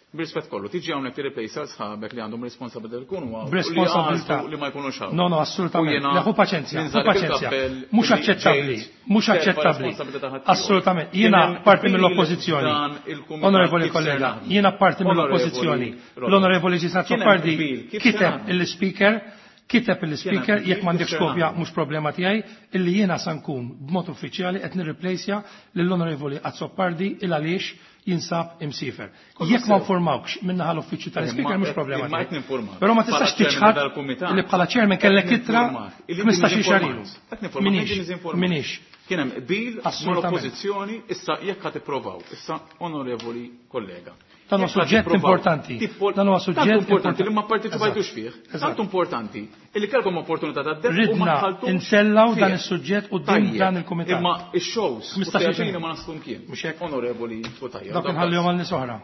bir-rispett kollu, tiġi hawnhekk tirreplace għal sħabek li għandhom responsabilità li jkunu hawn. u li B'responsabilità. għażlu li ma jkunux hawn. No, no, assolutament. U jiena Le, ħu paċenzja, ħu ninżalek paċenzja. il-kappell Mhux li aċċettabbli, ġejt mhux terfa' aċċettabbli. responsabilità ħaddieħor. Assolutament. Kien Jiena hemm parti qbil mill-oppożizzjoni. dan il-kumitat Onorevoli kif se kollega, naħdmu. jiena parti Onorevoli mill-oppożizzjoni. Robert. L-Onorevoli Ġisna Kien hemm Azzopardi qbil kif se kiteb naħdmu. il-speaker, kiteb il-speaker, Kien hemm jekk m'għandekx kif se kopja naħdmu. mhux problema tiegħi, illi jiena sa nkun b'mod uffiċjali qed nirreplejsja lill-Onorevoli Azzopardi il għaliex jinsab imsifer. Kollu Jekk ma sew. informawkx minnaħa l-uffiċċju tal-speaker Imma mhux qed- problema imma qed tiegħi. ninformak. Però ma tistax Bħala chairman tiċħad tal-kumitat. li bħala chairman kellek Qed ittra ninformak. Illi ħmistax-il xahar ilu. ninformat. Qed ninformak, Minix, qed ninformak. minix. Kien hemm qbil Assolutament. mal-oppożizzjoni, issa jekk ħa tippruvaw, issa onorevoli kollega. Dan huwa Jekk ħa suġġett tippruvaw importanti. tippol- Dan huwa Tant suġġett importanti li ma importanti. pparteċipajtux Eżatt. fih. Eżatt. Tant importanti illi kellkom opportunità ta' deb u ma Ridna dħaltux insellaw dan fih. is-suġġett quddiem Tajjeb. dan il-kumitat. Imma ix-shows u Ħmistax-il teatrina xahar. ma naslu mkien. Mhux hekk? Onorevoli Cutajar. Dak inħallihom għal nies oħra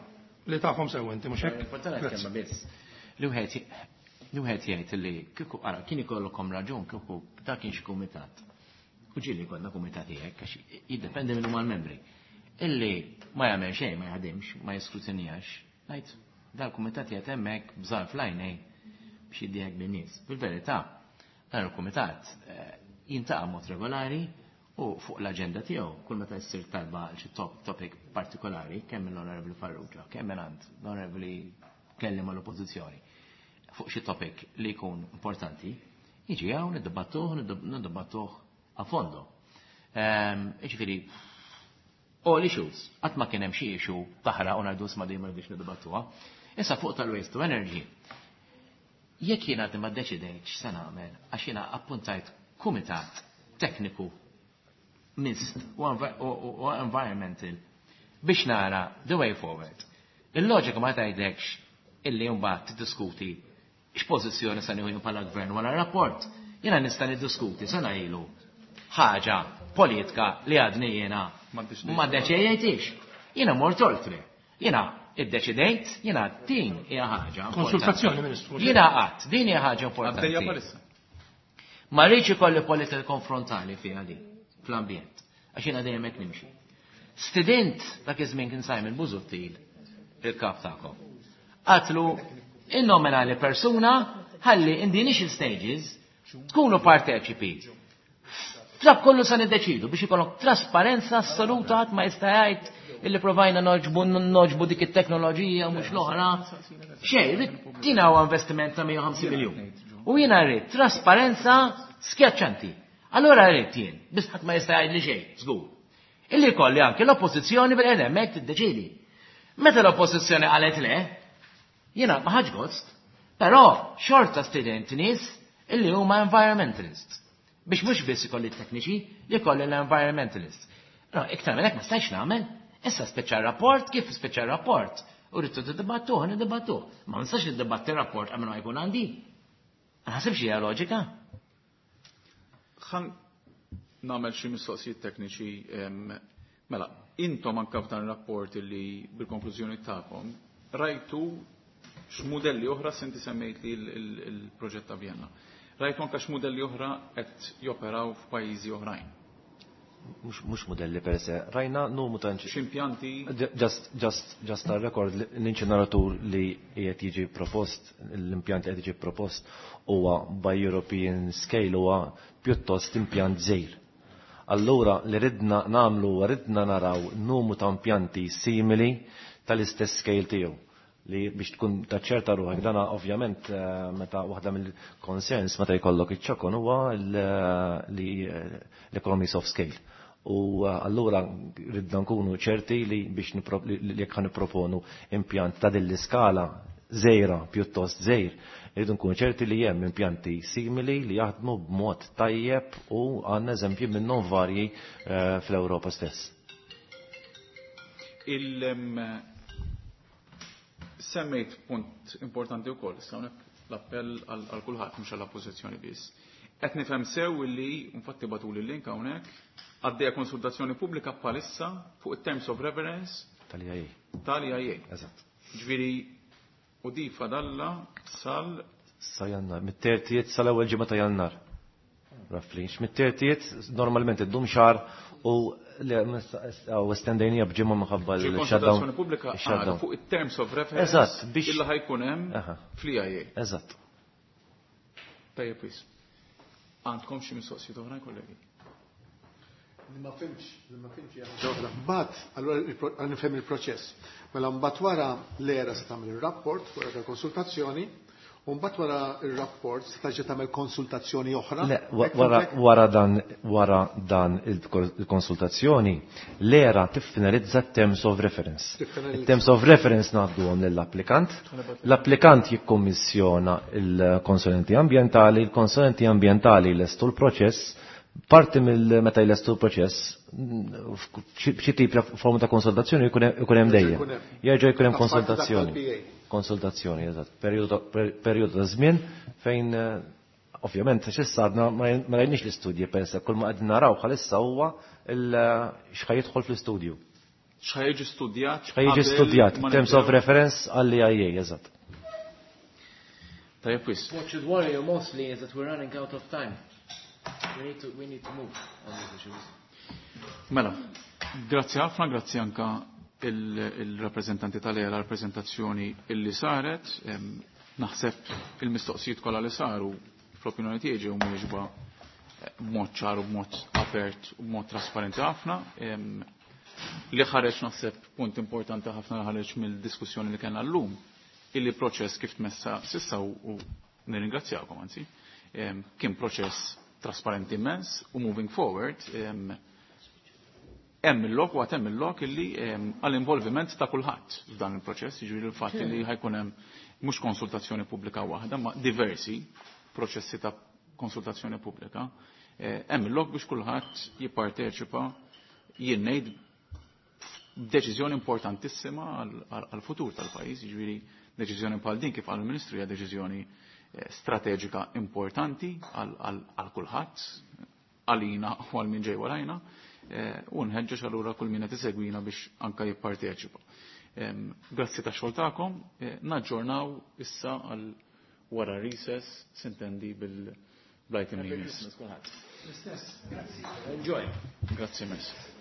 li tafhom sew inti mhux hekk? Importanti Grazzi. kelma biss. Li wieħed li wieħed jgħid li kieku ara kien ikollkom raġun kieku dak kien xi kumitat. U ġieli konna kumitati hekk għax jiddependi minn huma l-membri. Illi ma jagħmel xejn, ma jaħdimx, ma jiskrutinjax. Ngħid dal-kumitat jgħid hemmhekk bżar fl-għajnej biex jiddieħek bin-nies. Fil-verità, dan il-kumitat eh, jintaqa' mod regolari u fuq l-aġenda tiegħu kull meta jsir talba għal xi top topic partikolari, kemm mill-Onorevoli Farrugia, kemm minn għand l-Onorevoli kelliem mal-Oppożizzjoni fuq xi topic li jkun importanti, jiġi hawn niddibattuh, niddibattuh a fondo. Ehm, Jiġifieri, all issues, qatt ma kien hemm xi issue taħraq u ngħidu isma' dejjem ma rridux niddibattuha. Issa fuq tal-waste to energy, jekk jiena għadni ma ddeċidejtx se nagħmel għax jiena appuntajt kumitat tekniku mist u envi- u- u u environmental biex nara the way forward. Il-loġika ma tgħidlekx illi mbagħad tiddiskuti x'pożizzjoni se nieħu jien bħala gvern wara rapport. Jiena nista' niddiskuti sena ilu ħaġa politika li għadni jiena ma ddeċidejtix. Jiena mort oltre. Jiena iddeċidejt, jiena din hija ħaġa. Konsultazzjoni, Ministru. Jiena qatt, din hija ħaġa importanti. Għaddejja bħalissa. Ma rridx ikolli politika konfrontali fiha din fl-ambjent, għax jiena dejjem hekk nimxi. Stedint dak iż-żmien kien Simon Busuttil, il-kap tagħkom. Għatlu innominali persuna ħalli in the initial stages tkunu parteċipi. Dak kollu sa niddeċidu biex ikollok trasparenza assoluta ħadd ma jista' jgħid illi provajna noġbu noġbu dik it-teknoloġija mhux l-oħra. Xejn, din huwa investiment ta' mija u ħamsin miljun. U jiena rrid trasparenza skjaċċanti. Allora rrid jien, biss ħadd ma jista' jgħidli xejn, żgur. Illi jkolli anke l-oppożizzjoni bil-qed hemmhekk tiddeċiedi. Meta l-oppożizzjoni qalet le, jiena ma ħadx gost, però xorta stident nies illi huma environmentalists. Biex mhux biss ikolli tekniċi, li jkolli l-environmentalists. No, iktar minn hekk ma stajtx nagħmel. Issa speċa rapport, kif speċa rapport? U rridtu tiddibattuh, niddibattuh. Ma nistax niddibatti rapport qabel ma jkun għandi. Ma naħsibx hija loġika. Ħa nagħmel xi mistoqsijiet tekniċi. Mela, intom anke f'dan ir-rapport li bil-konklużjoni tagħkom rajtu x'mudelli oħra senti semmejt li l-proġett ta' Vienna. Rajtu anke x'mudelli oħra qed joperaw f'pajjiżi oħrajn. Mhux modelli per se, rajna numru ta' X'impjanti. Just, just, just għal-record, l-inċineratur li qiegħed jiġi propost, l-impjant li qed jiġi propost huwa by European scale huwa pjuttost impjant żgħir. Allura li ridna nagħmlu huwa ridna naraw numru ta' impjanti simili tal-istess scale tiegħu li biex tkun taċċerta ruħek dana ovvjament meta waħda mill-concerns meta jkollok iċ-ċokon huwa li l-economies of scale. U allura ridna nkunu ċerti li biex li jekk nipproponu impjant ta' din l-iskala żgħira pjuttost żgħir, rridu nkunu ċerti li hemm impjanti simili li jaħdmu b'mod tajjeb u għandna eżempji minnhom varji fl-Ewropa stess. Il Semmejt punt importanti wkoll, issa hawnhekk l-appell għal kulħadd mhux għall-oppożizzjoni biss. Qed nifhem sew illi infatti bagħtuli l-link hawnhekk għaddejja konsultazzjoni pubblika bħalissa fuq it-terms of reference tal-I A. Tal-E I A. Eżatt. Ġifieri u di fadalla sal Sa Jannar, mit-thirtieth sal-ewwel ġimgħa ta' Jannar. Roughly. Mit-thirtieth normalment iddum xahar u u estendejnija b'ġimgħa minħabba l-shutdown. Konsultazzjoni pubblika għadha fuq it-terms of reference Eżatt, biex illa ħa jkun hemm fl-E I A. Eżatt. Tajjeb wis. Għandkom xi mistoqsijiet oħra, kollegi? Li ma fhimtx, li ma fhimtx hija ħaġa oħra. Mbagħad, allura nifhem il-proċess. Mela mbagħad wara l-ERA se tagħmel ir-rapport wara tal-konsultazzjoni, u mbagħad wara ir-rapport se terġa' tagħmel konsultazzjoni oħra. Le, wara wara dan wara dan il-konsultazzjoni, l-ERA tiffinalizza terms of reference. Il-terms of reference ngħadduhom lill-applikant. L-applikant jikkommissjona il-konsulenti ambjentali, il-konsulenti ambjentali lestu l-proċess. Parti mill meta jlestu l-proċess, xi tip ta' forma ta' konsultazzjoni jkun hemm dejjem. Jerġa' jkun hemm konsultazzjoni. Konsultazzjoni, eżatt. Perjodu ta' żmien fejn ovvjament x'issa għadna ma rajniex l-istudji per se, kull ma qegħdin naraw bħalissa huwa x'ħa jidħol fl-istudju. X'ħa jiġi studjat? X'ħa jiġi studjat, terms of reference għall-E I A, eżatt. Tajjeb wis. What should worry you mostly is that we're running out of time. We need to, we need to move on these issues. Mela, grazzi ħafna, grazzi anka il-rappresentanti tal-ERA rappresentazzjoni illi saret. Naħseb il-mistoqsijiet kollha li saru fl-opinjoni tiegħi ġew mwieġba b'mod ċar u b'mod apert u b'mod trasparenti ħafna. Li ħareġ naħseb punt importanti ħafna li ħareġ mill-diskussjoni li kellna llum, illi proċess kif tmessa sissa u nirringrazzjakom anzi, kien proċess trasparenti immens u moving forward hemm il-lok u għad hemm il-lok illi għall-involviment ta' kulħadd f'dan il-proċess, jiġifieri l-fatt li ħa jkun hemm mhux konsultazzjoni pubblika waħda, ma diversi proċessi ta' konsultazzjoni pubblika. Hemm il-lok biex kulħadd jipparteċipa, jien ngħid, deċiżjoni importantissima għal-futur tal-pajjiż, jiġifieri deċiżjoni bħal din, kif qal il-Ministru, hija deċiżjoni strateġika importanti għal kulħadd, għalina u għal min ġej warajna, u nħeġġeġ allura kull min qed isegwina biex anka jipparteċipa. Grazzi ta' xogħol tagħkom, naġġornaw issa għal wara recess, sintendi bil-item li jmiss. Enjoy. Grazzi mess.